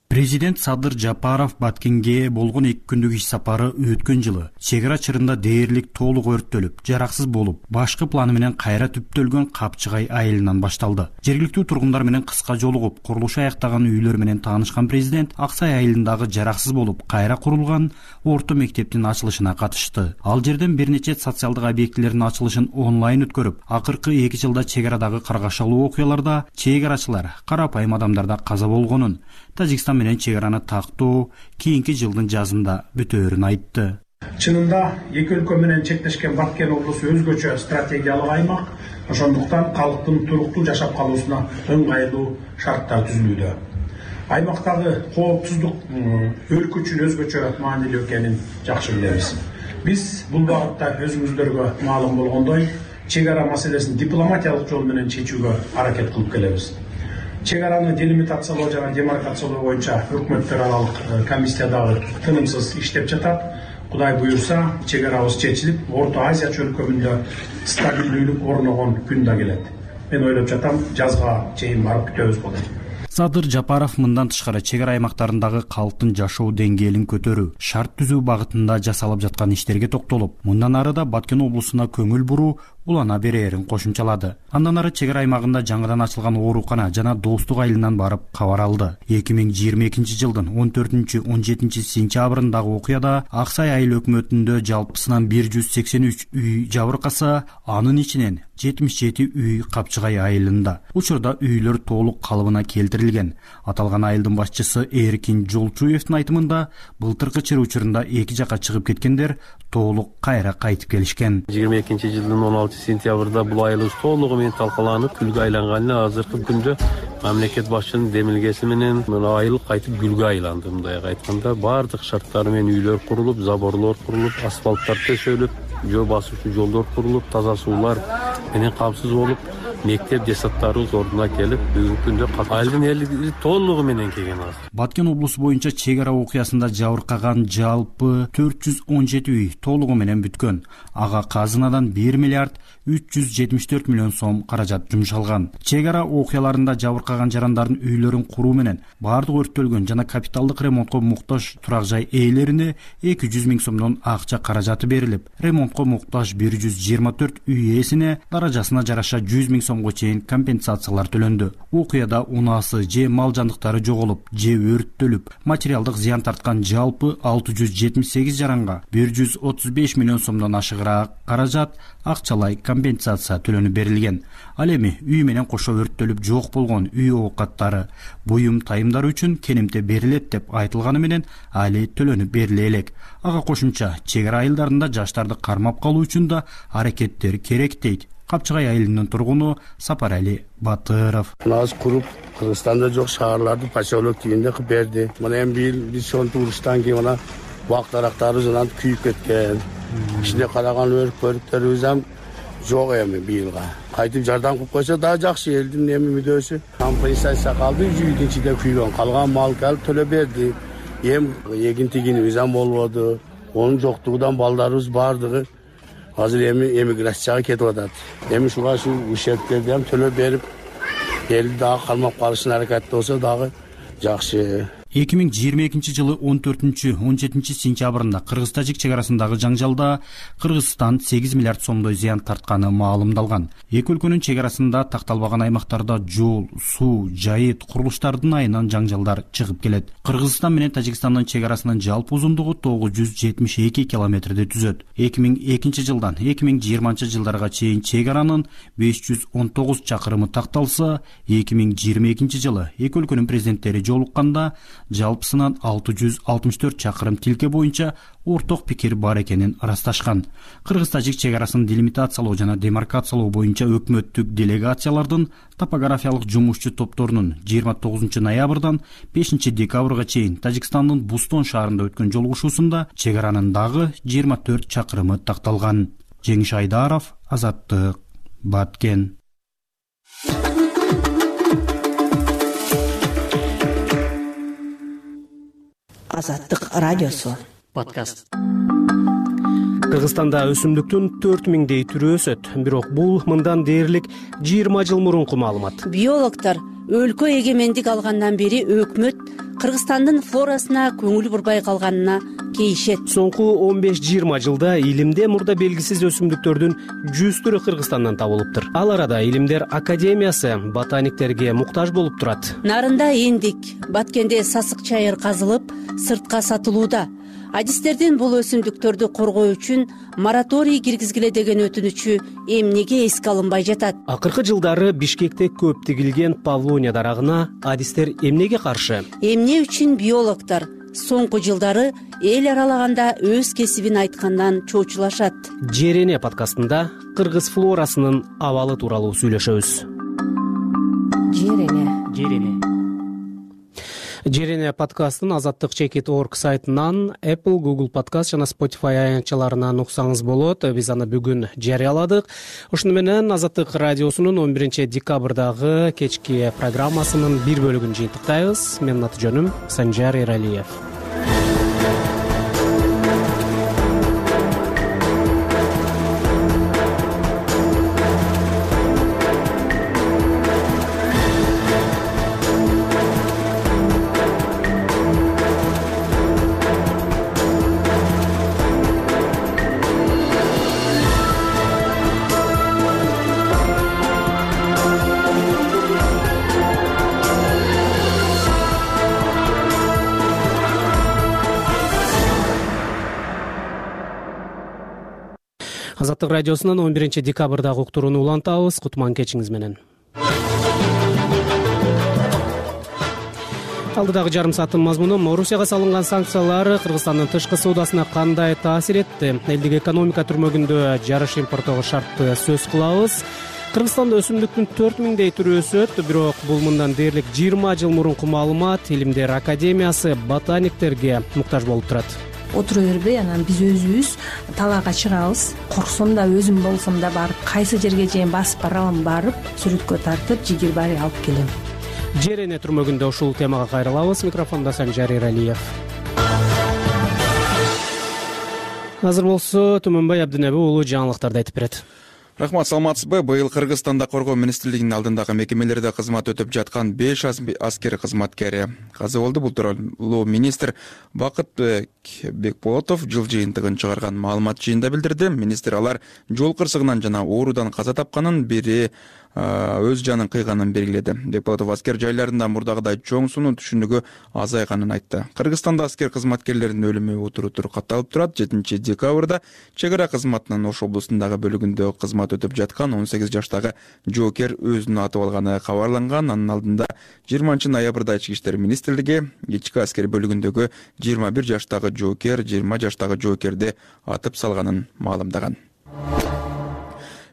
Speaker 18: Президент Садыр Жапаров Баткенге болгон эки күндүк иш сапары өткөн жылы чек ара чырында дээрлик толук өрттөлүп, жараксыз болуп, башкы планы менен кайра түптөлгөн Капчыгай айылынан башталды. Жергиликтүү тургундар менен кыска жолугуп, курулушу аяктаган үйлөр менен таанышкан президент Аксай айылындагы жараксыз болуп, кайра курулган орто мектептин ачылышына катышты. Ал жерден бир нече социалдык объектилердин ачылышын онлайн өткөрүп, акыркы эки жылда чек арадагы каргашалуу окуяларда чек арачылар, карапайым адамдарда каза болгонун, Тажикстан менен чек араны тактоо кийинки жылдын жазында бүтөөрүн айтты.
Speaker 7: Чынында эки өлкө менен чектешкен Баткен облусу өзгөчө стратегиялык аймак, ошондуктан калктын туруктуу жашап калуусуна ыңгайлуу шарттар түзүлүүдө. Аймактагы коопсуздук өлкө үчүн өзгөчө маанилүү экенин жакшы билебиз. Биз бул багытта өзүңүздөргө маалым болгондой, чек ара маселесин дипломатиялык жол менен чечүүгө аракет кылып келебиз. Чек араны делимитациялоо жана демаркациялоо боюнча өкмөттөр аралык комиссия дагы тынымсыз иштеп жатат. Кудай буюрса, чек арабыз чечилип, Орто Азия чөлкөмүндө стабилдүүлүк орногон күн да келет. Мен ойлоп жатам, жазга чейин барып күтөбүз болот.
Speaker 18: Садыр Жапаров мындан тышкары чек ара аймактарындагы калктын жашоо деңгээлин көтөрүү, шарт түзүү багытында жасалып жаткан иштерге токтолуп, мындан ары да Баткен облусуна көңүл буруу улана берээрин кошумчалады. Андан ары чек ара аймагында жаңыдан ачылган оорукана жана достук айылынан барып кабар алды. эки миң жыйырма экинчи жылдын он төртүнчү он жетинчи сентябрындагы окуяда Ак Сай айыл өкмөтүндө жалпысынан бир жүз сексен үч үй жабыркаса, анын ичинен жетимиш жети үй Капчыгай айылында. Учурда үйлөр толук калыбына келтирилген. Аталган айылдын башчысы Эркин Жолчуевдин айтымында, былтыркы чыр учурунда эки жакка чыгып кеткендер толук кайра кайтып келишкен.
Speaker 19: жыйырма экинчи жылдын он алтынчы сентябрда бул айыл толугу менен талкаланып, күлгө айланганына азыркы күндө мамлекет башчынын демилгеси менен мына айыл кайтып гүлгө айланды. Мындай айтканда, бардык шарттары менен үйлөр курулуп, заборлор курулуп, асфальттар төшөлүп, жөө басуучу жолдор курулуп, таза суулар менен камсыз болуп, мектеп жасаттарыбыз ордуна келип, бүгүнкү күндө айылдын эли толугу менен келген азыр.
Speaker 18: Баткен облусу боюнча чек ара окуясында жабыркаган жалпы төрт жүз он жети үй толугу менен бүткөн. Ага казынадан бир миллиард үч жүз жетимиш төрт миллион сом каражат жумшалган. Чек ара окуяларында жабыркаган жарандардын үйлөрүн куруу менен бардык өрттөлгөн жана капиталдык ремонтко муктаж турак жай ээлерине эки жүз миң сомдон акча каражаты берилип, ремонтко муктаж бир жүз жыйырма төрт үй ээсине даражасына жараша жүз миң сомго чейин компенсациялар төлөндү. Окуяда унаасы же мал жандыктары жоголуп, же өрттөлүп, материалдык зыян тарткан жалпы алты жүз жетимиш сегиз жаранга бир жүз отуз беш миллион сомдон ашыгыраак каражат акчалай компенсация төлөнүп берилген. Ал эми үй менен кошо өрттөлүп жок болгон үй оокаттары, буюм тайымдар үчүн кенемте берилет деп айтылганы менен али төлөнүп бериле элек. Ага кошумча чек ара айылдарында жаштарды кармап калуу үчүн да аракеттер керек дейт Капчыгай айылынын тургуну Сапарали Батыров.
Speaker 5: Нас куруп, Кыргызстанда жок шаарларды поселок тигинде кылып берди. Мына эми бир биз ошонтип уруштан кийин мына бак дарактарыбыз анан күйүп кеткен. Ичинде караган өрүк көрүктөрүбүз ham жок эми быйылга. Кайтып жардам кылып койсо да жакшы, элдин эми мүдөөсү. Компенсация калды, үйдүн ичинде күйгөн. Калган мал келип төлөп берди. Эм эгин тигинибиз ham болбоду. Онун жоктугунан балдарыбыз бардыгы азыр эми эмиграцияга кетип атат. Эми ушуга ушу ущербтерди ham төлөп берип, элди дагы кармап калышына аракет болсо дагы жакшы.
Speaker 18: эки миң жыйырма экинчи жылы он төртүнчү он жетинчи сентябрында Кыргыз-Тажик чек арасындагы жаңжалда Кыргызстан сегиз миллиард сомдой зыян тартканы маалымдалган. Эки өлкөнүн чек арасында такталбаган аймактарда жол, суу, жайыт, курулуштардын айынан жаңжалдар чыгып келет. Кыргызстан менен Тажикстандын чек арасынын жалпы узундугу тогуз жүз жетимиш эки километрди түзөт. эки миң экинчи жылдан эки миң жыйырманчы жылдарга чейин чек аранын беш жүз он тогуз чакырымы такталса, эки миң жыйырма экинчи жылы эки өлкөнүн президенттери жолукканда жалпысынан алты жүз алтымыш төрт чакырым тилке боюнча орток пикир бар экенин ырасташкан. Кыргыз-Тажик чек арасын делимитациялоо жана демаркациялоо боюнча өкмөттүк делегациялардын топографиялык жумушчу топторунун жыйырма тогузунчу ноябрдан бешинчи декабрга чейин Тажикстандын Бустон шаарында өткөн жолугушуусунда чек аранын дагы жыйырма төрт чакырымы такталган. Жеңиш Айдаров, Азаттык, Баткен.
Speaker 20: Азаттык радиосу подкаст.
Speaker 2: Кыргызстанда өсүмдүктүн төрт миңдей түрү өсөт, бирок бул мындан дээрлик жыйырма жыл мурунку маалымат.
Speaker 20: Биологдор өлкө эгемендик алгандан бери өкмөт Кыргызстандын флорасына көңүл бурбай калганына кейишет.
Speaker 2: Соңку он беш жыйырма жылда илимде мурда белгисиз өсүмдүктөрдүн жүз түрү Кыргызстандан табылыптыр. Ал арада Илимдер академиясы ботаниктерге муктаж болуп турат.
Speaker 20: Нарында эндик, Баткенде сасык чайыр казылып, сыртка сатылууда. Адистердин бул өсүмдүктөрдү коргоо үчүн мораторий киргизгиле деген өтүнүчү эмнеге эске алынбай жатат?
Speaker 2: Акыркы жылдары Бишкекте көп тигилген павлония дарагына адистер эмнеге каршы?
Speaker 20: Эмне үчүн биологдор соңку жылдары эл аралаганда өз кесибин айткандан чоочулашат.
Speaker 2: Жерене подкастында кыргыз флорасынын абалы тууралуу сүйлөшөбүз.
Speaker 20: Жерене
Speaker 2: Жерене Жерене подкастын азаттык чекит точка орг сайтынан Apple, Google Podcast жана Spotify аянтчаларынан уксаңыз болот. Биз аны бүгүн жарыяладык. Ошону менен Азаттык радиосунун он биринчи декабрдагы кечки программасынын бир бөлүгүн жыйынтыктайбыз. Менин аты жөнүм Санжар Эралиев. Азаттык радиосунун он биринчи декабрдагы уктурууну улантабыз. Кутман кечиңиз менен. Алдыдагы жарым сааттын мазмуну: Орусияга салынган санкциялар Кыргызстандын тышкы соодасына кандай таасир этти? Элдик экономика түрмөгүндө жарыш импорттогу шартты сөз кылабыз. Кыргызстанда өсүмдүктүн төрт миңдей түрү өсөт, бирок бул мындан дээрлик жыйырма жыл мурунку маалымат. Илимдер академиясы ботаниктерге муктаж болуп турат.
Speaker 21: Отура бербей, анан биз өзүбүз талаага чыгабыз. Корксом да, өзүм болсом да барып, кайсы жерге чейин басып баралам, барып сүрөткө тартып, жигир баары алып келем.
Speaker 2: Жерене түрмөгүндө ушул темага кайрылабыз. Микрофондо Санжар Эралиев. Азыр болсо Түмөнбай Абдинеби уулу жаңылыктарды айтып берет.
Speaker 6: Рахмат, саламатсызбы? Быйыл Кыргызстанда коргоо министрлигинин алдындагы мекемелерде кызмат өтүп жаткан беш аскер кызматкери каза болду. Бул тууралуу министр Бакытбек Бекболотов жыл жыйынтыгын чыгарган маалымат жыйында билдирди. Министр алар жол кырсыгынан жана оорудан каза тапканын, бири өз жанын кыйганын белгиледи. Бекболотов аскер жайларында мурдагыдай чоң сунуу түшүнүгү азайганын айтты. Кыргызстанда аскер кызматкерлеринин өлүмү утуру-утур катталып турат. жетинчи декабрда чек ара кызматынын Ош облусундагы бөлүгүндө кызмат өтүп жаткан он сегиз жаштагы жоокер өзүнүн атып алганы кабарланган. Анын алдында жыйырманчы ноябрда Ички иштер министрлиги ички аскер бөлүгүндөгү жыйырма бир жаштагы жоокер, жыйырма жаштагы жоокерди атып салганын маалымдаган.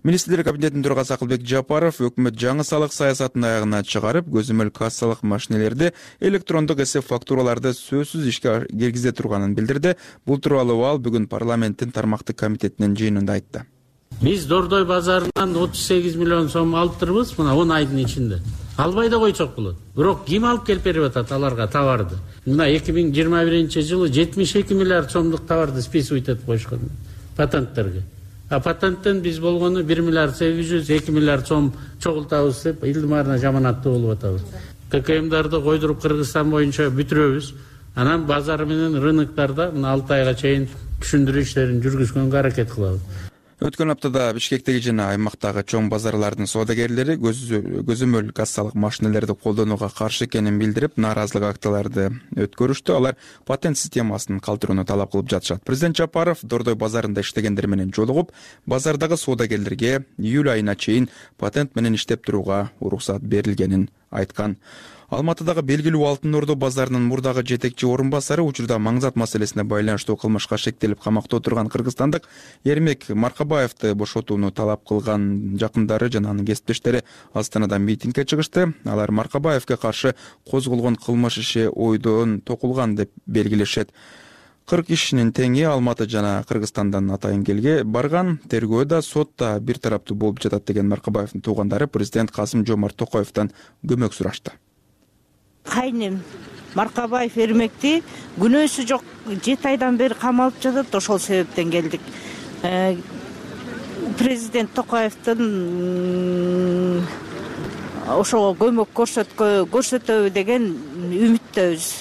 Speaker 6: Министрлер кабинетинин төрагасы Акылбек Жапаров өкмөт жаңы салык саясатын аягына чыгарып, көзөмөл кассалык машинелерди, электрондук эсеп фактураларды сөзсүз ишке киргизе турганын билдирди. Бул тууралуу ал бүгүн парламенттин тармактык комитетинин жыйынында айтты.
Speaker 11: Биз Дордой базарынан отуз сегиз миллион сом алыптырбыз, мына он айдын ичинде. Албай да койсок болот. Бирок ким алып келип берип атат аларга товарды? Мына эки миң жыйырма биринчи жылы жетимиш эки миллиард сомдук товарды списывать этип койушкан патенттерге. А патенттен биз болгону бир миллиард сегиз жүз, эки миллиард сом чогултабыз деп илдимарына жаманаттуу болуп атабыз. ККМдарды койдуруп Кыргызстан боюнча бүтүрөбүз. Анан базар менен рыноктарда мына алты айга чейин түшүндүрүү иштерин жүргүзгөнгө аракет кылабыз.
Speaker 6: Өткөн аптада Бишкектеги жана аймактагы чоң базарлардын соодагерлери көзөмөл кассалык машинелерди колдонууга каршы экенин билдирип, нааразылык акцияларды өткөрүштү. Алар патент системасын калтырууну талап кылып жатышат. Президент Жапаров Дордой базарында иштегендер менен жолугуп, базардагы соодагерлерге июль айына чейин патент менен иштеп турууга уруксат берилгенин айткан. Алматыдагы белгилүү Алтын Ордо базарынын мурдагы жетекчи орун басары учурда маңзат маселесине байланыштуу кылмышка шектелип камакта отурган кыргызстандык Эрмек Маркабаевди бошотууну талап кылган жакындары жана анын кесиптештери Астанада митингге чыгышты. Алар Маркабаевге каршы козголгон кылмыш иши ойдон токулган деп белгилешет. кырк кишинин теңи Алматы жана Кыргызстандан атайын келге барган. Тергөө да сот да бир тараптуу болуп жатат деген Маркабаевдин туугандары президент Касым Жомарт Токаевден көмөк сурашты.
Speaker 22: Кайнем Маркабаев Эрмекти күнөөсү жок жети айдан бери камалып жатат, ошол себептен келдик. Президент Токаевдин ошого көмөк көрсөтөбү деген үмүттөбүз.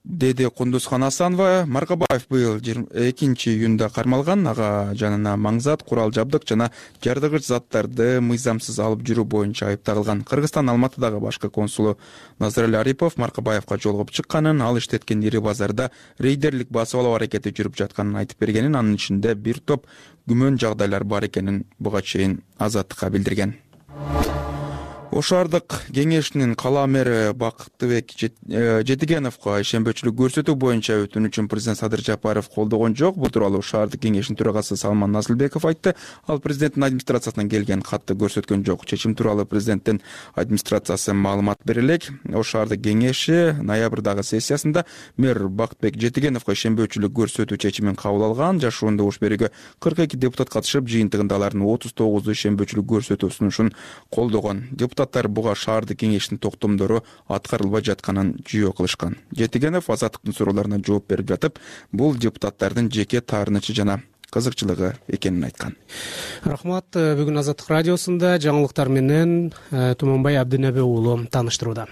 Speaker 6: деди Кундузхан Асанова. Маркабаев быйыл экинчи июнда кармалган. Ага жанына маңзат, курал жабдык жана жардыгыч заттарды мыйзамсыз алып жүрүү боюнча айыпталган. Кыргызстан Алматыдагы башкы консулу Назарали Арипов Маркабаевга жолугуп чыкканын, ал иштеткен ири базарда рейдерлик басып алуу аракети жүрүп жатканын айтып бергенин, анын ичинде бир топ күмөн жагдайлар бар экенин буга чейин Азаттыкка билдирген. ош шаардык кеңешинин кала мэри Бактыбек Жетигеновго ишенбөөчүлүк көрсөтүү боюнча өтүнүчүн президент Садыр Жапаров колдогон жок. Бул тууралуу ош шаардык кеңешинин төрагасы Салман Назылбеков айтты. Ал президенттин администрациясынан келген катты көрсөткөн жок. Чечим тууралуу президенттин администрациясы маалымат бере элек. Ош шаардык кеңеши ноябрдагы сессиясында мэр Бактыбек Жетигеновго ишенбөөчүлүк көрсөтүү чечимин кабыл алган. Жашоондо ош берүүгө кырк эки депутат катышып, жыйынтыгында алардын отуз тогузу ишенбөөчүлүк көрсөтүү сунушун колдогон. Депутаттар буга шаардык кеңештин токтомдору аткарылбай жатканын жүйө кылышкан. Жетигенов Азаттыктын суроолоруна жооп берип жатып, бул депутаттардын жеке таарынычы жана кызыкчылыгы экенин айткан.
Speaker 2: Рахмат. Бүгүн Азаттык радиосунда жаңылыктар менен Туманбай Абдинеби уулу тааныштырууда.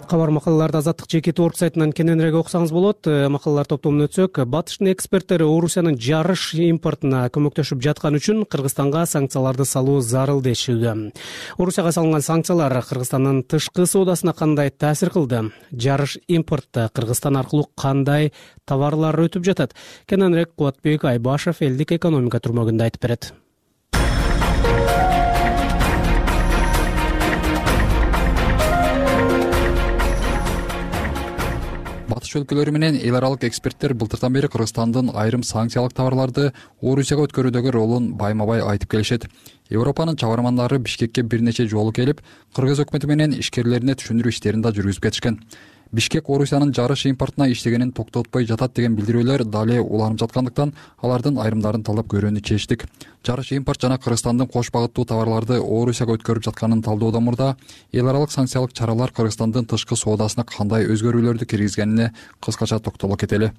Speaker 2: Кабар макалаларды Азаттык жеке торт сайтынан кененирээк окусаңыз болот. Макалалар топтомуна өтсөк, Батыштын эксперттери Орусиянын жарыш импортуна көмөктөшүп жаткан үчүн Кыргызстанга санкцияларды салуу зарыл дешүүдө. Орусияга салынган санкциялар Кыргызстандын тышкы соодасына кандай таасир кылды? Жарыш импортто Кыргызстан аркылуу кандай товарлар өтүп жатат? Кененирээк Кубатбек Айбашев элдик экономика турмөгүндө айтып берет.
Speaker 3: Батыш өлкөлөрү менен эл аралык эксперттер былтыртан бери Кыргызстандын айрым санкциялык товарларды Орусияга өткөрүүдөгү ролун байма-бай айтып келишет. Европанын чабармандары Бишкекке бир нече жолу келип, Кыргыз өкмөтү менен ишкерлерине түшүндүрүү иштерин да жүргүзүп кетишкен. Бишкек Орусиянын жарыш импортуна иштегенин токтотпой жатат деген билдирүүлөр дали уланып жаткандыктан алардын айрымдарын талдап көрүүнү чечтик. Жарыш импорт жана Кыргызстандын кош багыттуу товарларды Орусияга өткөрүп жатканын талдоодон мурда эл аралык санкциялык чаралар Кыргызстандын тышкы соодасына кандай өзгөрүүлөрдү киргизгенине кыскача токтоло кетели.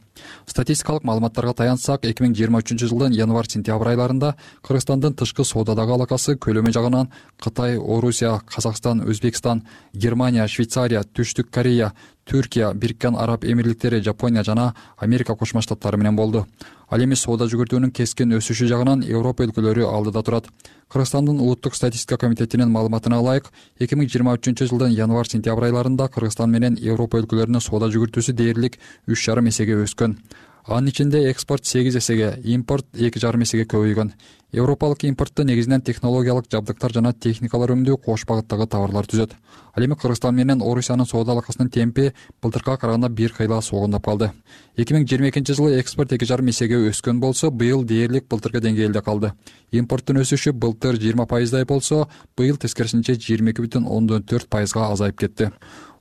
Speaker 3: Статистикалык маалыматтарга таянсак, эки миң жыйырма үчүнчү жылдын январь-сентябрь айларында Кыргызстандын тышкы соодадагы алакасы көлөмү жагынан Кытай, Орусия, Казакстан, Өзбекстан, Германия, Швейцария, Түштүк Корея, Түркия, Бириккен Араб Эмирликтери, Жапония жана Америка Кошмо Штаттары менен болду. Ал эми соода жүгүртүүнүн кескин өсүшү жагынан Европа өлкөлөрү алдыда турат. Кыргызстандын улуттук статистика комитетинин маалыматына ылайык, эки миң жыйырма үчүнчү жылдын январь-сентябрь айларында Кыргызстан менен Европа өлкөлөрүнүн соода жүгүртүүсү дээрлик үч жарым эсеге өскөн. Анын ичинде экспорт сегиз эсеге, импорт эки жарым эсеге көбөйгөн. Европалык импортто негизинен технологиялык жабдыктар жана техникалар өңдөө кош багыттагы товарлар түзөт. Ал эми Кыргызстан менен Орусиянын соода алакасынын темпи былтыркыга караганда бир кыйла согундап калды. эки миң жыйырма экинчи жылы экспорт эки жарым эсеге өскөн болсо, быйыл дээрлик былтыркы деңгээлде калды. Импорттун өсүшү былтыр жыйырма пайыздай болсо, быйыл тескерисинче жыйырма эки бүтүн ондон төрт пайызга азайып кетти.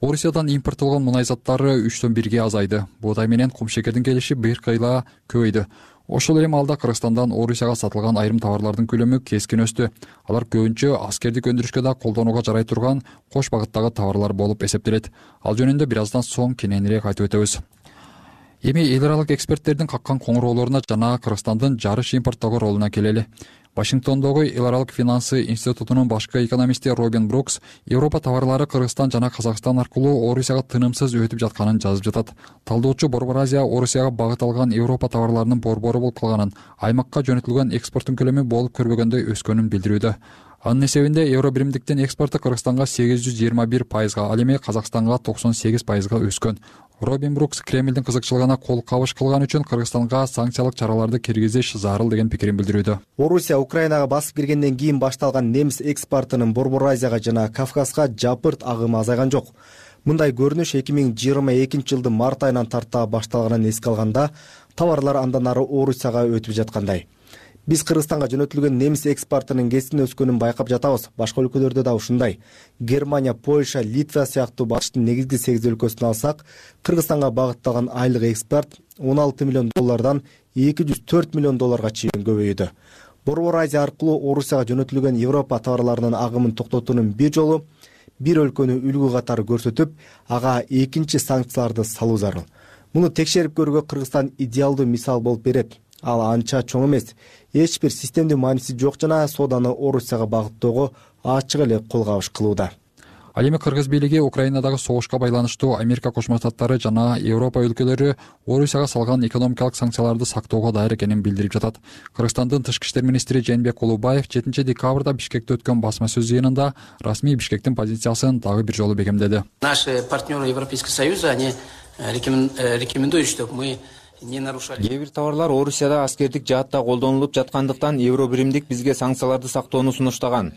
Speaker 3: Орусиядан импорттолгон мунай заттары үчтөн бирге азайды. Буудай менен кумшекердин келиши бир кыйла көбөйдү. Ошол эле маалда Кыргызстандан Орусияга сатылган айрым товарлардын көлөмү кескин өстү. Алар көбүнчө аскердик өндүрүшкө да колдонууга жарай турган кош багыттагы товарлар болуп эсептелет. Ал жөнүндө бир аздан соң кененирээк айтып өтөбүз. Эми эл аралык эксперттердин каккан коңуроолоруна жана Кыргызстандын жарыш импорттогу ролуна келели. Вашингтондогу эл аралык финансы институтунун башкы экономисти Робин Брукс Европа товарлары Кыргызстан жана Казакстан аркылуу Орусияга тынымсыз өтүп жатканын жазып жатат. Талдоочу Борбор Азия Орусияга багыт алган Европа товарларынын борбору болуп калганын, аймакка жөнөтүлгөн экспорттун көлөмү болуп көрбөгөндөй өскөнүн билдирүүдө. Анын эсебинде евро биримдиктин экспорту Кыргызстанга сегиз жүз жыйырма бир пайызга, ал эми Казакстанга токсон сегиз пайызга өскөн. Робин Брукс Кремлдин кызыкчылыгына кол кабыш кылган үчүн Кыргызстанга санкциялык чараларды киргизиш зарыл деген пикирин билдирүүдө.
Speaker 12: Орусия Украинага басып киргенден кийин башталган немис экспортунун Борбор Азияга жана Кавказга жапырт агымы азайган жок. Мындай көрүнүш эки миң жыйырма экинчи жылдын март айынан тарта башталганын эске алганда, товарлар андан ары Орусияга өтүп жаткандай. Биз Кыргызстанга жөнөтүлгөн немис экспортунун кесин өскөнүн байкап жатабыз. Башка өлкөлөрдө да ушундай. Германия, Польша, Литва сыяктуу батыштын негизги сегиз өлкөсүн алсак, Кыргызстанга багытталган айлык экспорт он алты миллион доллардан эки жүз төрт миллион долларга чейин көбөйдү. Борбор Азия аркылуу Орусияга жөнөтүлгөн Европа товарларынын агымын токтотуунун бир жолу бир өлкөнү үлгү катары көрсөтүп, ага экинчи санкцияларды салуу зарыл. Муну текшерип көрүүгө Кыргызстан идеалдуу мисал болуп берет. Ал анча чоң эмес, эч бир системдүү мааниси жок жана сооданы Орусияга багыттоого ачык эле кол кабыш кылууда.
Speaker 3: Ал эми Кыргыз бийлиги Украинадагы согушка байланыштуу Америка Кошмо Штаттары жана Европа өлкөлөрү Орусияга салган экономикалык санкцияларды сактоого даяр экенин билдирип жатат. Кыргызстандын тышкы иштер министри Жээнбек Улубаев жетинчи декабрда Бишкекте өткөн басма сөз жыйынында расмий Бишкектин позициясын дагы бир жолу бекемдеди.
Speaker 9: Наши партнеры Европейского Союза, они рекомендуют, чтобы мы кээ бир товарлар Орусияда аскердик жаатта колдонулуп жаткандыктан евро биримдик бизге санкцияларды сактоону сунуштаган.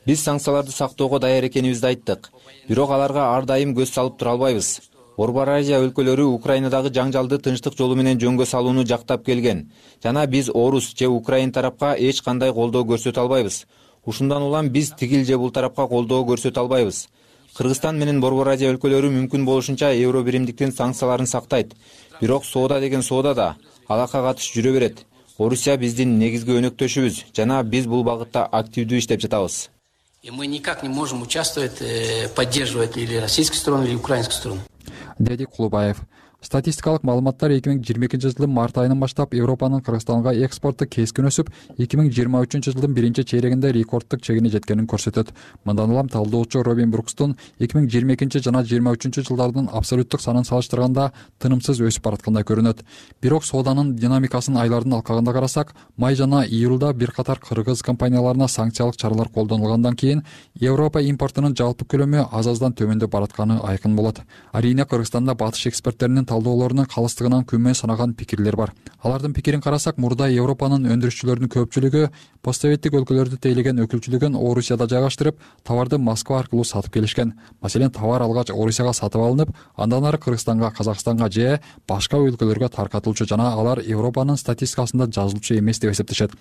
Speaker 9: Биз санкцияларды сактоого даяр экенибизди айттык. Бирок аларга ар дайым көз салып тура албайбыз. Борбор Азия өлкөлөрү Украинадагы жаңжалды тынчтык жолу менен жөнгө салууну жактап келген. Жана биз Орус же Украин тарапка эч кандай колдоо көрсөтө албайбыз. Ушундан улам биз тигил же бул тарапка колдоо көрсөтө албайбыз. Кыргызстан менен Борбор Азия өлкөлөрү мүмкүн болушунча евро биримдиктин санкцияларын сактайт. Бирок соода деген соода да, алака катыш жүрө берет. Орусия биздин негизги өнөктөшүбүз жана биз бул багытта активдүү иштеп жатабыз.
Speaker 10: И мы никак не можем участвовать, поддерживать или российскую сторону, или украинскую сторону.
Speaker 3: Деди Кулубаев. Статистикалык маалыматтар эки миң жыйырма экинчи жылдын март айынан баштап Европанын Кыргызстанга экспорту кескин өсүп, эки миң жыйырма үчүнчү жылдын биринчи чейрегинде рекордтук чегине жеткенин көрсөтөт. Мындан улам талдоочу Робин Брукстун эки миң жыйырма экинчи жана жыйырма үчүнчү жылдардын абсолюттук санын салыштырганда тынымсыз өсүп бараткандай көрүнөт. Бирок сооданын динамикасын айлардын алкагында карасак, май жана июлда бир катар кыргыз компанияларына санкциялык чаралар колдонулгандан кийин Европа импортунун жалпы көлөмү аз-аздан төмөндөп баратканы айкын болот. Арийне Кыргызстанда батыш эксперттеринин талдоолорунун калыстыгынан күнмөн санаган пикирлер бар. Алардын пикирин карасак, мурда Европанын өндүрүшчүлөрүнүн көпчүлүгү постсоветтик өлкөлөрдү тейлеген өкүлчүлүгүн Орусияда жайгаштырып, товарды Москва аркылуу сатып келишкен. Маселен, товар алгач Орусияга сатып алынып, андан ары Кыргызстанга, Казакстанга же башка өлкөлөргө таркатылчу жана алар Европанын статистикасында жазылчу эмес деп эсептешет.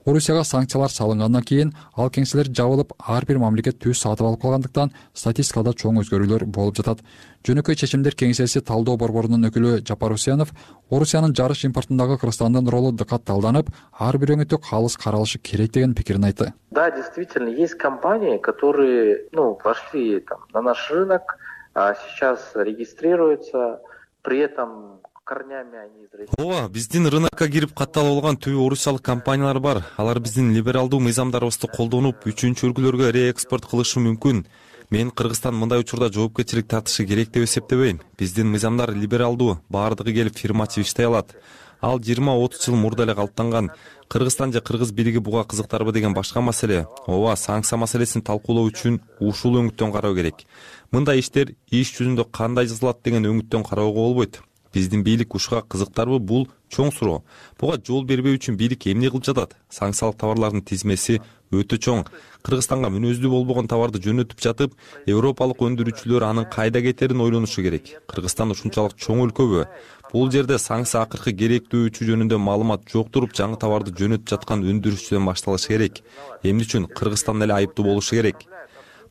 Speaker 3: Орусияга санкциялар салынгандан кийин ал кеңселер жабылып, ар бир мамлекет түз сатып алып калгандыктан статистикада чоң өзгөрүүлөр болуп жатат. Жөнөкөй чечимдер кеңсеси талдоо борборунун өкүлү Жапар Усенов Орусиянын жарыш импортундагы Кыргызстандын ролу дыкат талданып, ар бир өңүтү калыс каралышы керек деген пикирин айтты.
Speaker 23: Да, действительно, есть компании, которые, ну, вошли там на наш рынок, а сейчас регистрируются, при этом корнями они из России.
Speaker 24: Ооба, биздин рынокко кирип катталып алган түбү орусиялык компаниялар бар. Алар биздин либералдуу мыйзамдарыбызды колдонуп, үчүнчү өлкөлөргө реэкспорт кылышы мүмкүн. Мен Кыргызстан мындай учурда жоопкерчилик тартышы керек деп эсептебейм. Биздин мыйзамдар либералдуу, баардыгы келип фирмачы иштей алат. Ал жыйырма отуз жыл мурда эле калыптанган. Кыргызстан же кыргыз бийлиги буга кызыктарбы деген башка маселе. Ооба, санкция маселесин талкуулоо үчүн ушул өңүттөн кароо керек. Мындай иштер иш жүзүндө кандай жазылат деген өңүттөн кароого болбойт. Биздин бийлик ушуга кызыктарбы, бул чоң суроо. Буга жол бербөө үчүн бийлик эмне кылып жатат? Санкциялык товарлардын тизмеси өтө чоң. Кыргызстанга мүнөздүү болбогон товарды жөнөтүп жатып, европалык өндүрүүчүлөр анын кайда кетерин ойлонушу керек. Кыргызстан ушунчалык чоң өлкөбү? Бул жерде санкция акыркы керектүүчү жөнүндө маалымат жок туруп, жаңы товарды жөнөтүп жаткан өндүрүүчүдөн башталышы керек. Эмне үчүн Кыргызстан эле айыптуу болушу керек?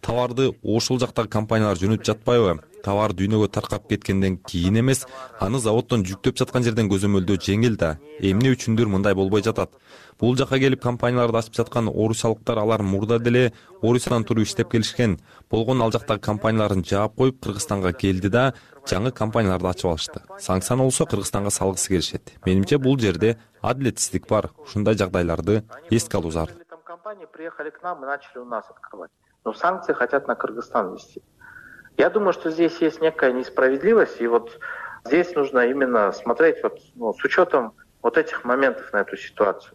Speaker 24: Товарды ошол жактагы компаниялар жөнөтүп жатпайбы? Товар дүйнөгө таркап кеткенден кийин эмес, аны заводдон жүктөп жаткан жерден көзөмөлдөө жеңил да. Эмне үчүндүр мындай болбой жатат? Бул жака келип компанияларды ачып жаткан орусиялыктар, алар мурда деле Орусиядан туруп иштеп келишкен. Болгон ал жактагы компанияларын жаап коюп Кыргызстанга келди да, жаңы компанияларды ачып алышты. Санкцияны болсо Кыргызстанга салгысы келишет. Менимче бул жерде адилетсиздик бар. Ушундай жагдайларды эске алуу зарыл.
Speaker 23: Компании приехали к нам и начали у нас открывать. Но санкции хотят на Кыргызстан вести. Я думаю, что здесь есть некая несправедливость, и вот здесь нужно именно смотреть вот, ну, с учетом вот этих моментов на эту ситуацию.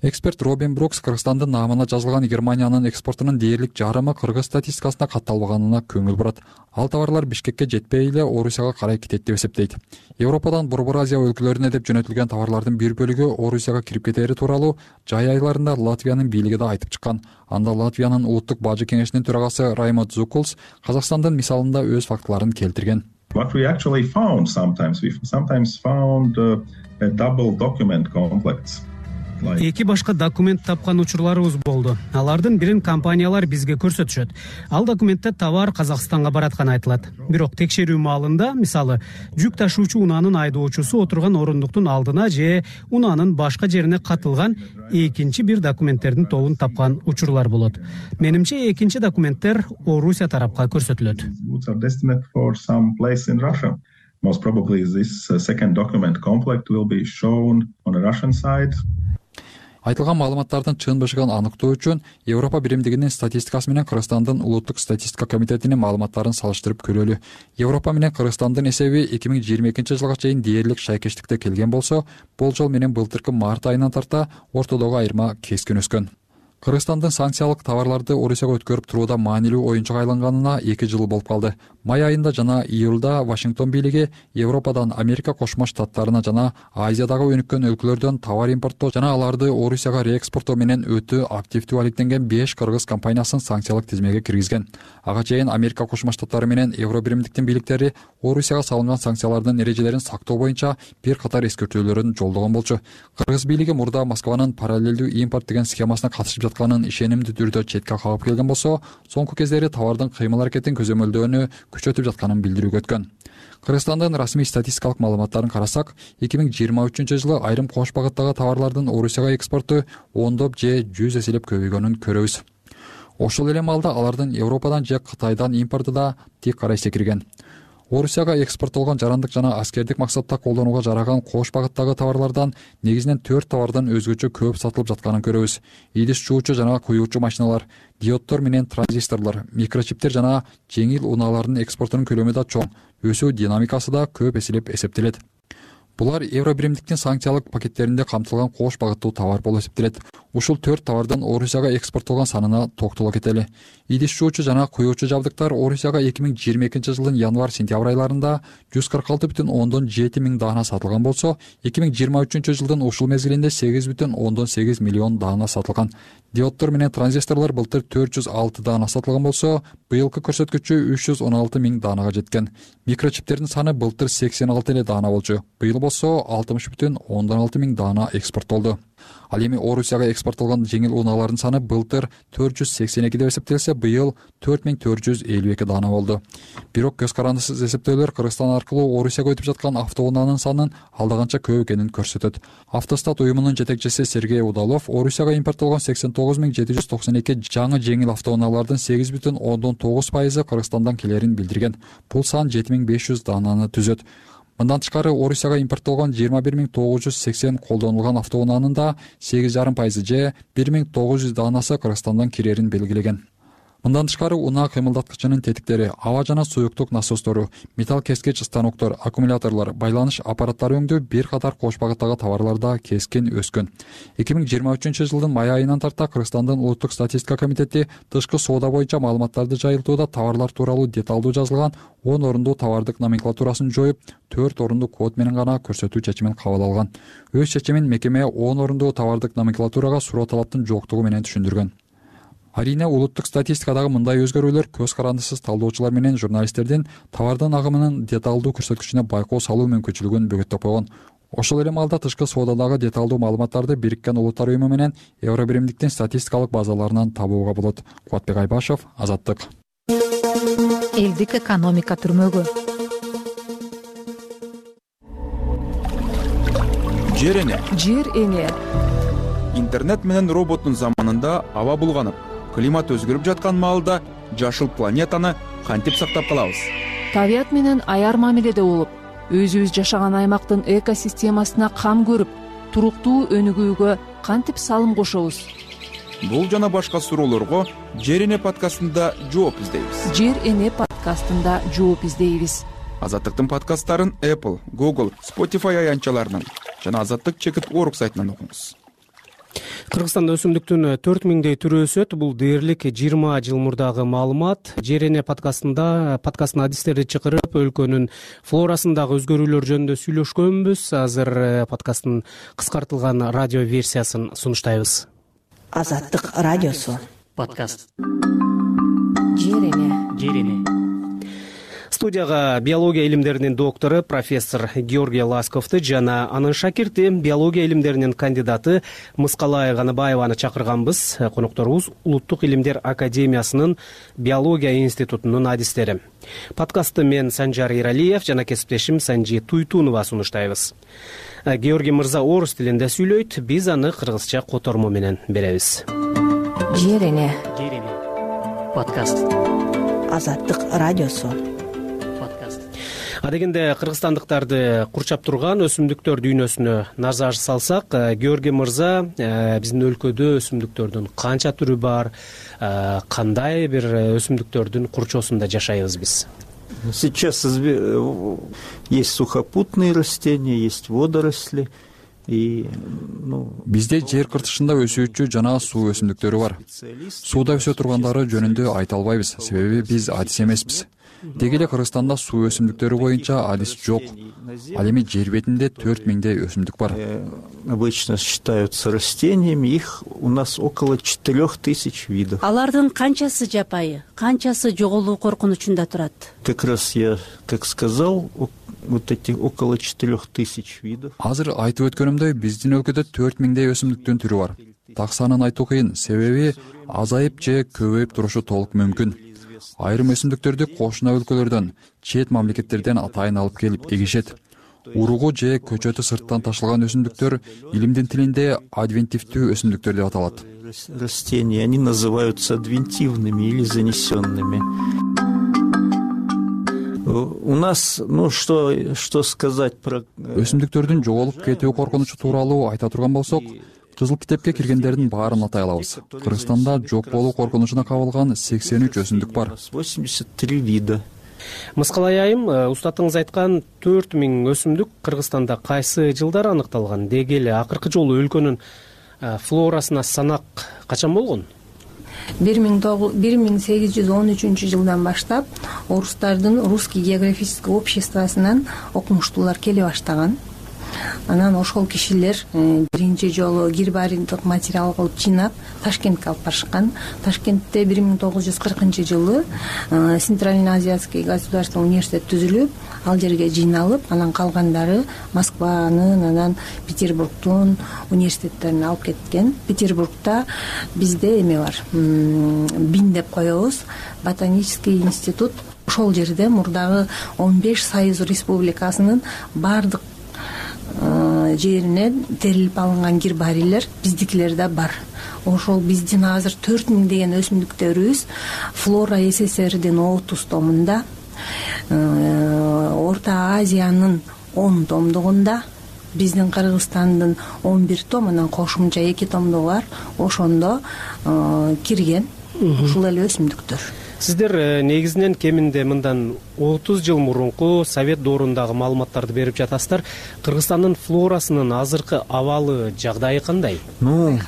Speaker 3: Эксперт Робин Брукс Кыргызстандын наамына жазылган Германиянын экспортунун дээрлик жарымы кыргыз статистикасына катталбаганына көңүл бурат. Ал товарлар Бишкекке жетпей эле Орусияга карай кетет деп эсептейт. Европадан Борбор Азия өлкөлөрүнө деп жөнөтүлгөн товарлардын бир бөлүгү Орусияга кирип кетери тууралуу жай айларында Латвиянын бийлиги да айтып чыккан. Анда Латвиянын улуттук бажы кеңешинин төрагасы Раймонд Зукулс Казакстандын мисалында өз фактыларын келтирген.
Speaker 25: What we actually found sometimes, we sometimes found uh, a double document complex.
Speaker 2: Эки башка документ тапкан учурларыбыз болду. Алардын бирин компаниялар бизге көрсөтүшөт. Ал документте товар Казакстанга баратканы айтылат. Бирок текшерүү маалында, мисалы, жүк ташуучу унаанын айдоочусу отурган орундуктун алдына же унаанын башка жерине катылган экинчи бир документтердин тобун тапкан учурлар болот. Менимче экинчи документтер Орусия тарапка көрсөтүлөт.
Speaker 25: Most probably this second document complex will be shown on the Russian side.
Speaker 3: Айтылган маалыматтардын чын бышыгын аныктоо үчүн Европа биримдигинин статистикасы менен Кыргызстандын улуттук статистика комитетинин маалыматтарын салыштырып көрөлү. Европа менен Кыргызстандын эсеби эки миң жыйырма экинчи жылга чейин дээрлик шайкештикте келген болсо, болжол менен былтыркы март айынан тарта ортодогу айырма кескин өскөн. Кыргызстандын санкциялык товарларды Орусияга өткөрүп турууда маанилүү оюнчук айланганына эки жыл болуп калды. май айында жана июлда Вашингтон бийлиги Европадан Америка Кошмо Штаттарына жана Азиядагы өнүккөн өлкөлөрдөн товар импорттоо жана аларды Орусияга реэкспорттоо менен өтө активдүү алектенген беш кыргыз компаниясын санкциялык тизмеге киргизген. Ага чейин Америка Кошмо Штаттары менен Евробиримдиктин бийликтери Орусияга салынган санкциялардын эрежелерин сактоо боюнча бир катар эскертүүлөрүн жолдогон болчу. Кыргыз бийлиги мурда Москванын параллелдүү импорт деген схемасына катышып жатканын ишенимдүү түрдө четке кагып келген болсо, соңку кездери товардын кыймыл аракетин көзөмөлдөөнү күчөтүп жатканын билдирүүгө өткөн. Кыргызстандын расмий статистикалык маалыматтарын карасак, эки миң жыйырма үчүнчү жылы айрым кош багыттагы товарлардын Орусияга экспорту ондоп же жүз эселеп көбөйгөнүн көрөбүз. Ошол эле маалда алардын Европадан же Кытайдан импорту да тик карай секирген. Орусияга экспорттолгон жарандык жана аскердик максатта колдонууга жараган кош багыттагы товарлардан негизинен төрт товардан өзгөчө көп сатылып жатканын көрөбүз. Идиш жуучу жана куюучу машиналар, диоддор менен транзисторлор, микрочиптер жана жеңил унаалардын экспортунун көлөмү да чоң, өсүү динамикасы да көп эселеп эсептелет. Булар Евробиримдиктин санкциялык пакеттеринде камтылган кош багыттуу товар болуп эсептелет. Ушул төрт товардан Орусияга экспорттолгон санына токтоло кетели. Идиш жуучу жана куюучу жабдыктар Орусияга эки миң жыйырма экинчи жылдын январь-сентябрь айларында жүз кырк алты бүтүн ондон жети миң даана сатылган болсо, эки миң жыйырма үчүнчү жылдын ушул мезгилинде сегиз бүтүн ондон сегиз миллион даана сатылган. Диоддор менен транзисторлор былтыр төрт жүз алты даана сатылган болсо, быйылкы көрсөткүчү үч жүз он алты миң даанага жеткен. Микрочиптердин саны былтыр сексен алты эле даана болчу. Быйыл болсо алтымыш бүтүн ондон алты миң даана экспорттолду. Ал эми Орусияга экспорттолгон жеңил унаалардын саны былтыр төрт жүз сексен эки деп эсептелсе, быйыл төрт миң төрт жүз элүү эки даана болду. Бирок көз карандысыз эсептөөлөр Кыргызстан аркылуу Орусияга өтүп жаткан автоунаанын санын алда канча көп экенин көрсөтөт. Автостат уюмунун жетекчиси Сергей Удалов Орусияга импорттолгон сексен тогуз миң жети жүз токсон эки жаңы жеңил автоунаалардын сегиз бүтүн ондон тогуз пайызы Кыргызстандан келерин билдирген. Бул сан жети миң беш жүз даананы түзөт. Мындан тышкары Орусияга импорттолгон жыйырма бир миң тогуз жүз сексен колдонулган автоунаанын да сегиз жарым пайызы же бир миң тогуз жүз даанасы Кыргызстандан кирерин белгилеген. Мындан тышкары унаа кыймылдаткычынын тетиктери, аба жана суюктук насостору, металл кескич станоктор, аккумуляторлор, байланыш аппараттары өңдүү бир катар кош багыттагы товарларда кескин өскөн. эки миң жыйырма үчүнчү жылдын май айынан тарта Кыргызстандын улуттук статистика комитети тышкы соода боюнча маалыматтарды жайылтууда товарлар тууралуу деталдуу жазылган он орундуу товардык номенклатурасын жоюп, төрт орундуу код менен гана көрсөтүү чечимин кабыл алган. Өз чечимин мекеме он орундуу товардык номенклатурага суроо талаптын жоктугу менен түшүндүргөн. Арийне улуттук статистикадагы мындай өзгөрүүлөр көз карандысыз талдоочулар менен журналисттердин товардын агымынын деталдуу көрсөткүчүнө байкоо салуу мүмкүнчүлүгүн бөгөттөп койгон. Ошол эле маалда тышкы соодадагы деталдуу маалыматтарды Бириккен Улуттар уюму менен Евробиримдиктин статистикалык базаларынан табууга болот. Кубатбек Айбашев, Азаттык.
Speaker 17: Элдик экономика түрмөгү.
Speaker 6: Жер эне.
Speaker 4: Жер эне.
Speaker 6: Интернет менен роботтун заманында аба булганып, климат өзгөрүп жаткан маалда жашыл планетаны кантип сактап калабыз?
Speaker 4: Табият менен аяр мамиледе болуп, өзүбүз жашаган аймактын экосистемасына кам көрүп, туруктуу өнүгүүгө кантип салым кошобуз?
Speaker 6: Бул жана башка суроолорго Жер эне подкастында жооп издейбиз.
Speaker 4: Жер эне подкастында жооп издейбиз.
Speaker 6: Азаттыктын подкасттарын Apple, Google, Spotify аянтчаларынан жана Азаттык чекит орг сайтынан окуңуз.
Speaker 2: Кыргызстанда өсүмдүктүн төрт миңдей түрү өсөт. Бул дээрлик жыйырма жыл мурдагы маалымат. Жер эне подкастында подкасттын адистерди чакырып, өлкөнүн флорасындагы өзгөрүүлөр жөнүндө сүйлөшкөнбүз. Азыр подкасттын кыскартылган радио версиясын сунуштайбыз.
Speaker 20: Азаттык радиосу.
Speaker 4: Подкаст. Жер эне. Жер эне.
Speaker 2: Студияга биология илимдеринин доктору профессор Георгий Ласковду жана анын шакирти биология илимдеринин кандидаты Мыскалай Ганыбаеваны чакырганбыз. Конокторубуз Улуттук илимдер академиясынын биология институтунун адистери. Подкастты мен Санжар Иралиев жана кесиптешим Санжи Туйтунова сунуштайбыз. Георгий мырза орус тилинде сүйлөйт, биз аны кыргызча котормо менен беребиз.
Speaker 4: Жер эне.
Speaker 2: Жер эне.
Speaker 4: Подкаст.
Speaker 20: Азаттык радиосу.
Speaker 2: Адегенде кыргызстандыктарды курчап турган өсүмдүктөр дүйнөсүнө назар салсак, Георгий мырза, биздин өлкөдө өсүмдүктөрдүн канча түрү бар, кандай бир өсүмдүктөрдүн курчоосунда жашайбыз биз?
Speaker 8: Сейчас есть сухопутные растения, есть водоросли.
Speaker 3: Бизде жер кыртышында өсүүчү жана суу өсүмдүктөрү бар. Сууда өсө тургандары жөнүндө айта албайбыз, себеби биз адис эмеспиз. деги эле Кыргызстанда суу өсүмдүктөрү боюнча адис жок. Ал эми жер бетинде төрт миңдей өсүмдүк бар.
Speaker 8: Обычно считаются растениями, их у нас около четырех тысяч видов.
Speaker 20: Алардын канчасы жапайы, канчасы жоголуу коркунучунда турат?
Speaker 8: Как раз я, как сказал, вот эти около четырех тысяч видов.
Speaker 3: Азыр айтып өткөнүмдөй, биздин өлкөдө төрт миңдей өсүмдүктүн түрү бар. Так санын айтуу кыйын, себеби азайып же көбөйүп турушу толук мүмкүн. Айрым өсүмдүктөрдү кошуна өлкөлөрдөн, чет мамлекеттерден атайын алып келип эгишет. Уругу же көчөтү сырттан ташылган өсүмдүктөр илимдин тилинде адвентивдүү өсүмдүктөр деп аталат.
Speaker 8: Растения, они называются адвентивными или занесенными. У нас, ну что, что сказать про...
Speaker 3: Өсүмдүктөрдүн жоголуп кетүү коркунучу тууралуу айта турган болсок, Кызыл китепке киргендердин баарын атай алабыз. Кыргызстанда жок болуу коркунучуна кабылган сексен үч өсүмдүк бар.
Speaker 8: восемьдесят три вида.
Speaker 2: Мыскалай айым, устатыңыз айткан төрт миң өсүмдүк Кыргызстанда кайсы жылдары аныкталган? Деги эле акыркы жолу өлкөнүн флорасына санак качан болгон?
Speaker 21: бир миң сегиз жүз он үчүнчү жылдан баштап орустардын Русский географический обществосунан окумуштуулар келе баштаган. Анан ошол кишилер биринчи жолу гербарийлдик материал кылып жыйнап Ташкентке алып барышкан. Ташкентте бир миң тогуз жүз кыркынчы жылы Центрально-Азиатский государственный университет түзүлүп, ал жерге жыйналып, анан калгандары Москванын, анан Петербургдун университеттерине алып кеткен. Петербургда бизде эме бар, бин деп коебуз, ботанический институт. Ошол жерде мурдагы он беш Союз республикасынын бардык жерине терилип алынган гербарийлер биздикилер да бар. Ошол биздин азыр төрт миң деген өсүмдүктөрүбүз Флора СССРдин отуз томунда, Орто Азиянын он томдугунда, биздин Кыргызстандын он бир том, анан кошумча эки томдугу бар. Ошондо кирген ушул эле өсүмдүктөр.
Speaker 2: Сиздер негизинен кеминде мындан отуз жыл мурунку Совет доорундагы маалыматтарды берип жатасыздар. Кыргызстандын флорасынын азыркы абалы, жагдайы кандай?
Speaker 8: Ну,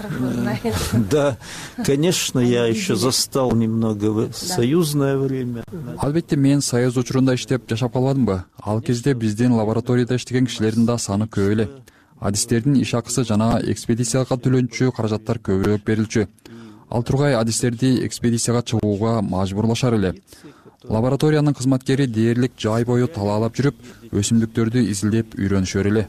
Speaker 8: да, конечно, я еще застал немного союзное время.
Speaker 3: Албетте, мен Союз учурунда иштеп жашап калбадымбы? Ал кезде биздин лабораторияда иштеген кишилердин да саны көп эле. Адистердин иш акысы жана экспедицияга төлөнчү каражаттар көбүрөөк берилчү. Ал тургай адистерди экспедицияга чыгууга мажбурлашар эле. Лабораториянын кызматкери дээрлик жай бою талаалап жүрүп, өсүмдүктөрдү изилдеп үйрөнүшөр эле.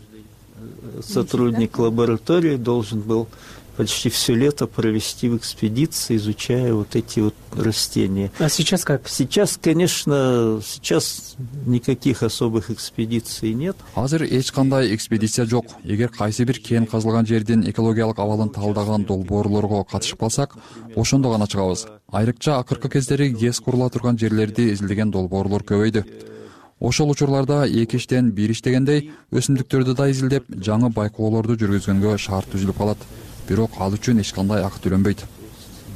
Speaker 8: Сотрудник лаборатории должен был почти все лето провести в экспедиции, изучая вот эти вот растения.
Speaker 2: А сейчас как?
Speaker 8: Сейчас, конечно, сейчас никаких особых экспедиций нет.
Speaker 3: Азыр эч кандай экспедиция жок. Эгер кайсы бир кен казылган жердин экологиялык абалын талдаган долбоорлорго катышып калсак, ошондо гана чыгабыз. Айрыкча акыркы кездери ГЭС курула турган жерлерди изилдеген долбоорлор көбөйдү. Ошол учурларда эки иштен бир иштегендей өсүмдүктөрдү да изилдеп, жаңы байкоолорду жүргүзгөнгө шарт түзүлүп калат. Бирок ал үчүн эч кандай акы төлөнбөйт.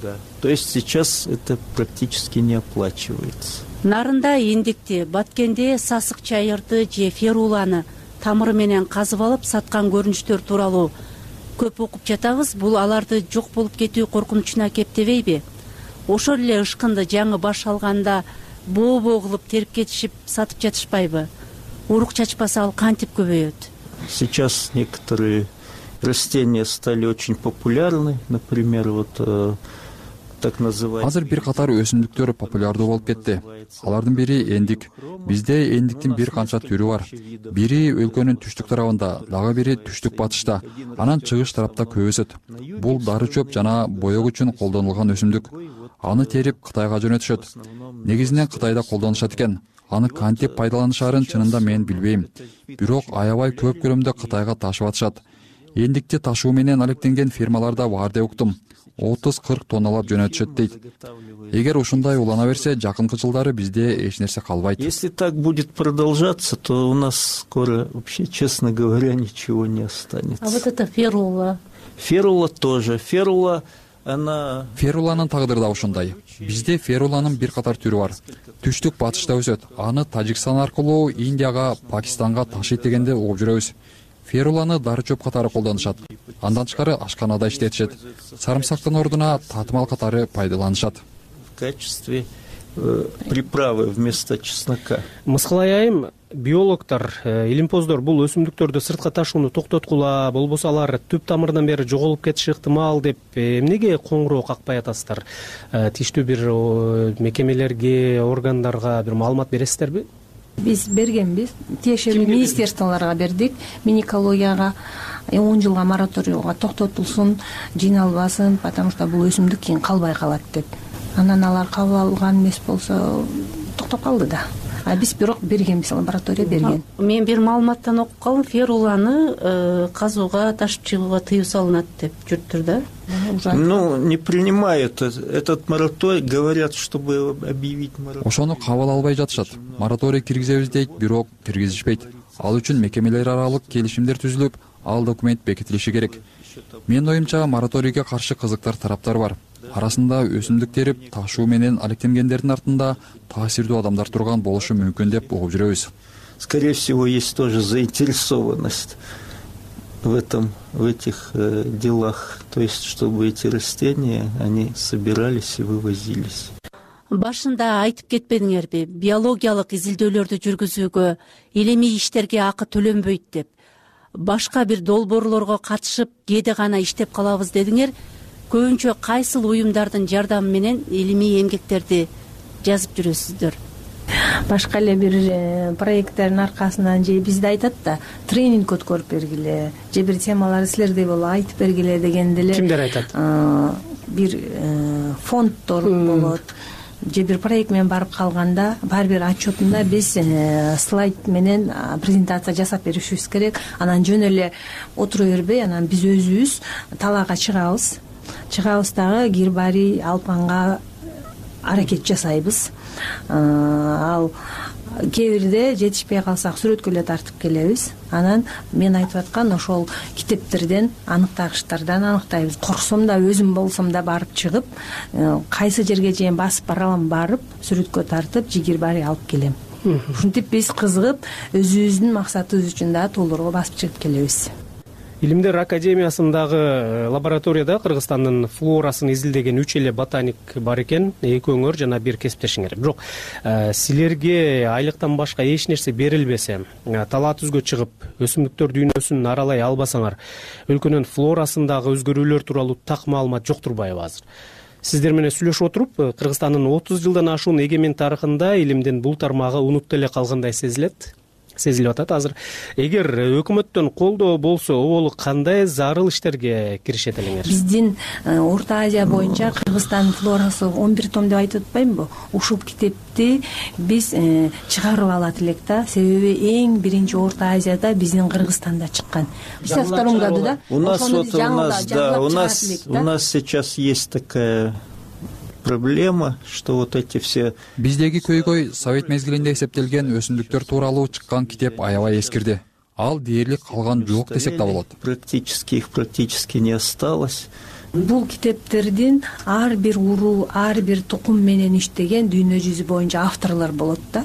Speaker 8: Да. То есть сейчас это практически не оплачивается.
Speaker 20: Нарында эндикти, баткенде сасык чайырды же феруланы тамыры менен казып алып саткан көрүнүштөр тууралуу көп окуп жатабыз. Бул аларды жок болуп кетүү коркунучуна кептебейби? Ошол эле ышкынды жаңы баш алганда боо-боо кылып терип кетишип сатып жатышпайбы? Урук чачпаса ал кантип көбөйөт?
Speaker 8: Сейчас некоторые растения стали очень популярны, например, вот э, так называемый.
Speaker 3: Азыр бир катар өсүмдүктөр популярдуу болуп кетти. Алардын бири эндик. Бизде эндиктин бир канча түрү бар. Бири өлкөнүн түштүк тарабында, дагы бири түштүк батышта, анан чыгыш тарапта көп өсөт. Бул дары чөп жана боек үчүн колдонулган өсүмдүк. Аны терип Кытайга жөнөтүшөт. Негизинен Кытайда колдонушат экен. Аны кантип пайдаланышарын чынында мен билбейм. Бирок аябай көп көлөмдө Кытайга ташып атышат. Эндикти ташуу менен алектенген фирмаларда бар деп уктум. отуз кырк тонналап жөнөтүшөт дейт. Эгер ушундай улана берсе, жакынкы жылдары бизде эч нерсе калбайт.
Speaker 8: Если так будет продолжаться, то у нас скоро вообще, честно говоря, ничего не останется.
Speaker 20: А вот это ферула?
Speaker 8: Ферула тоже. Ферула, она...
Speaker 3: Феруланын тагдыры да ушундай. Бизде феруланын бир катар түрү бар. Түштүк батышта өсөт. Аны Тажикстан аркылуу Индияга, Пакистанга ташыйт дегенде угуп жүрөбүз. Феруланы дары чөп катары колдонушат. Андан тышкары ашканада иштетишет. Сарымсактын ордуна татымал катары пайдаланышат.
Speaker 8: В качестве приправы вместо чеснока.
Speaker 2: Мыскылай айым, биологдор, илимпоздор бул өсүмдүктөрдү сыртка ташууну токтоткула, болбосо алар түп тамырынан бери жоголуп кетиши ыктымал деп эмнеге коңгуроо какпай атасыздар? Тиштүү бир мекемелерге, органдарга бир маалымат бересиздерби?
Speaker 21: Биз бергенбиз, тиешелүү министерстволорго бердик, миникологияга он жылга мораторийга токтотулсун, жыйналбасын, потому что бул өсүмдүк кийин калбай калат деп. Анан алар кабыл алган эмес болсо токтоп калды да. А биз бирок бергенбиз, лаборатория берген.
Speaker 20: Мен бир маалыматтан окуп калдым, феруланы казууга, ташып чыгууга тыюу салынат деп жүрүптүр да.
Speaker 8: Ну, не принимают этот мораторий, говорят, чтобы объявить мораторий.
Speaker 3: Ошону кабыл албай жатышат. Мораторий киргизебиз дейт, бирок киргизишпейт. Ал үчүн мекемелер аралык келишимдер түзүлүп, ал документ бекитилиши керек. Менин оюмча, мораторийге каршы кызыктар тараптар бар. Арасында өсүмдүк терип, ташуу менен алектенгендердин артында таасирдүү адамдар турган болушу мүмкүн деп угуп жүрөбүз.
Speaker 8: Скорее всего, есть тоже заинтересованность в этом, в этих э, делах, то есть, чтобы эти растения, они собирались и вывозились.
Speaker 20: Башында айтып кетпедиңерби, биологиялык изилдөөлөрдү жүргүзүүгө, илимий иштерге акы төлөнбөйт деп. Башка бир долбоорлорго катышып, кээде гана иштеп калабыз дедиңер. Көбүнчө кайсыл уюмдардын жардамы менен илимий эмгектерди жазып жүрөсүздөр?
Speaker 21: Башка эле бир проекттердин аркасынан же бизде айтат да, тренинг өткөрүп бергиле, же бир темаларды силердей болуп айтып бергиле деген деле.
Speaker 2: Кимдер айтат?
Speaker 21: Бир фонддор болот. Же бир проект менен барып калганда, бар бир отчетунда биз слайд менен презентация жасап беришибиз керек. Анан жөн эле отура бербей, анан биз өзүбүз талаага чыгабыз. Чыгабыз дагы гербарий алпанга аракет жасайбыз. Ал кээ бирде жетишпей калсак сүрөткө эле тартып келебиз. Анан мен айтып аткан ошол китептерден, аныктагычтардан аныктайбыз. Корксом да, өзүм болсом да барып чыгып, кайсы жерге чейин басып бара алам, барып сүрөткө тартып, же гербарий алып келем. Ушинтип биз кызыгып, өзүбүздүн максатыбыз үчүн да толугу басып чыгып келебиз.
Speaker 2: Илимдер академиясындагы лабораторияда Кыргызстандын флорасын изилдеген үч эле ботаник бар экен, эки өңөр жана бир кесиптешиңер. Бирок силерге айлыктан башка эч нерсе берилбесе, талаа түзгө чыгып, өсүмдүктөр дүйнөсүн аралай албасаңар, өлкөнүн флорасындагы өзгөрүүлөр тууралуу так маалымат жок турбайбы азыр? Сиздер менен сүйлөшүп отуруп, Кыргызстандын отуз жылдан ашуун эгемен тарыхында илимдин бул тармагы унутуп эле калгандай сезилет. Сезилип атат азыр. Эгер өкмөттөн колдоо болсо, оболу кандай зарыл иштерге киришет элеңер?
Speaker 21: Биздин Орто Азия боюнча Кыргызстандын флорасы он бир том деп айтып атпаймынбы? Ушул китепти биз чыгарып алат элек да. Себеби эң биринчи Орто Азияда биздин Кыргызстанда чыккан. пятьдесят втором году, да?
Speaker 8: У нас вот у нас да, у нас у нас сейчас есть такая проблема, что вот эти все
Speaker 3: биздеги көйгөй совет мезгилинде эсептелген өсүмдүктөр тууралуу чыккан китеп аябай эскирди. Ал дээрлик калган жок десек да болот.
Speaker 8: Практически их практически не осталось.
Speaker 21: Бул китептердин ар бир уруу, ар бир тукум менен иштеген дүйнө жүзү боюнча авторлор болот да.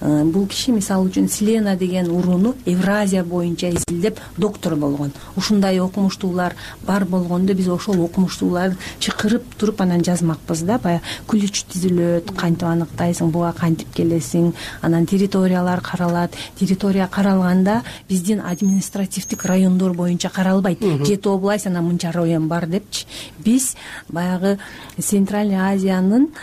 Speaker 21: Бул киши мисалы үчүн Селена деген урууну Евразия боюнча изилдеп доктор болгон. Ушундай окумуштуулар бар болгондо биз ошол окумуштууларды чакырып туруп анан жазмакпыз да. Баягы күлүч түзүлөт, кантип аныктайсың, буга кантип келесиң, анан территориялар каралат. Территория каралганда биздин административдик райондор боюнча каралбайт. Жети область, анан мынча район бар депчи. Биз баягы Центральный Азиянын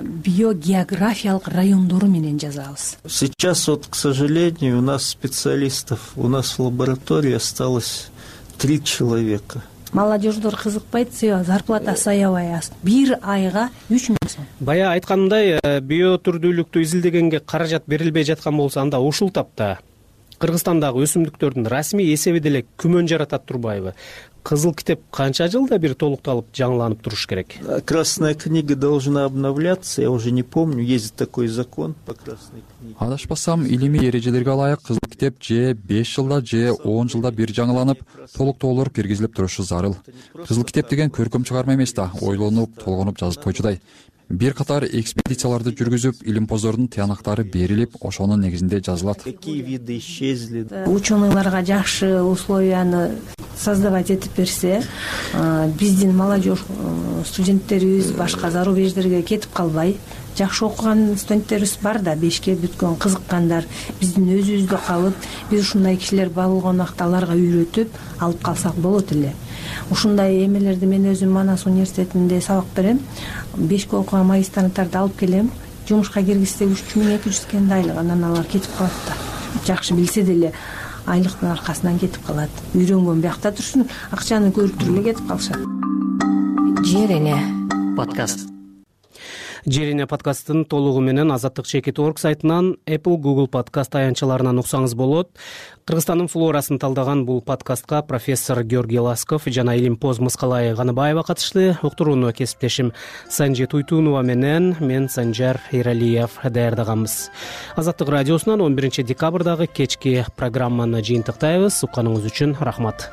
Speaker 21: биогеографиялык райондору менен жазабыз.
Speaker 8: Сейчас вот, к сожалению, у нас специалистов, у нас в лаборатории осталось три человека.
Speaker 21: Молодеждор кызыкпайт, себеби зарплатасы аябай аз. Бир айга үч миң сом.
Speaker 2: Бая айткандай, биотүрдүүлүктү изилдегенге каражат берилбей жаткан болсо, анда ушул тапта Кыргызстандагы өсүмдүктөрдүн расмий эсеби деле күмөн жаратат турбайбы? Кызыл китеп канча жылда бир толукталып, жаңыланып туруш керек?
Speaker 8: Красная книга должна обновляться, я уже не помню, есть такой закон по красной книге.
Speaker 3: Адашпасам, илимий эрежелерге ылайык кызыл китеп же беш жылда же он жылда бир жаңыланып, толуктоолор киргизилип турушу зарыл. Кызыл китеп деген көркөм чыгарма эмес да, ойлонуп, толгонуп жазып койчудай. Бир катар экспедицияларды жүргүзүп, илимпоздордун тыянактары берилип, ошонун негизинде жазылат.
Speaker 8: Какие виды исчезли?
Speaker 21: Ученыйларга жакшы условияны создавать этип берсе, биздин молодежь студенттерибиз башка зарубеждерге кетип калбай, жакшы окуган студенттерибиз бар да, бешке бүткөн, кызыккандар. Биздин өзүбүздө калып, биз ушундай кишилер болгон убакта аларга үйрөтүп алып калсак болот эле. Ушундай эмелерди мен өзүм Манас университетинде сабак берем. Бешке окуган магистранттарды алып келем. Жумушка киргизсек үч миң эки жүз экен айлык, анан алар кетип калат да. Жакшы билсе деле айлыктын аркасынан кетип калат. Үйрөнгөн биякта турсун, акчаны көрүп туруп эле кетип калышат.
Speaker 1: Жер эне подкаст.
Speaker 2: Жер эне подкасттын толугу менен азаттык чекит точка орг сайтынан, Apple, Google подкаст аянтчаларынан уксаңыз болот. Кыргызстандын флорасын талдаган бул подкастка профессор Георгий Ласков жана Илимпоз Мыскалай Ганыбаева катышты. Уктурууну кесиптешим Санжи Туйтунова менен мен Санжар Эралиев даярдаганбыз. Азаттык радиосунан он биринчи декабрдагы кечки программаны жыйынтыктайбыз. Укканыңыз үчүн рахмат.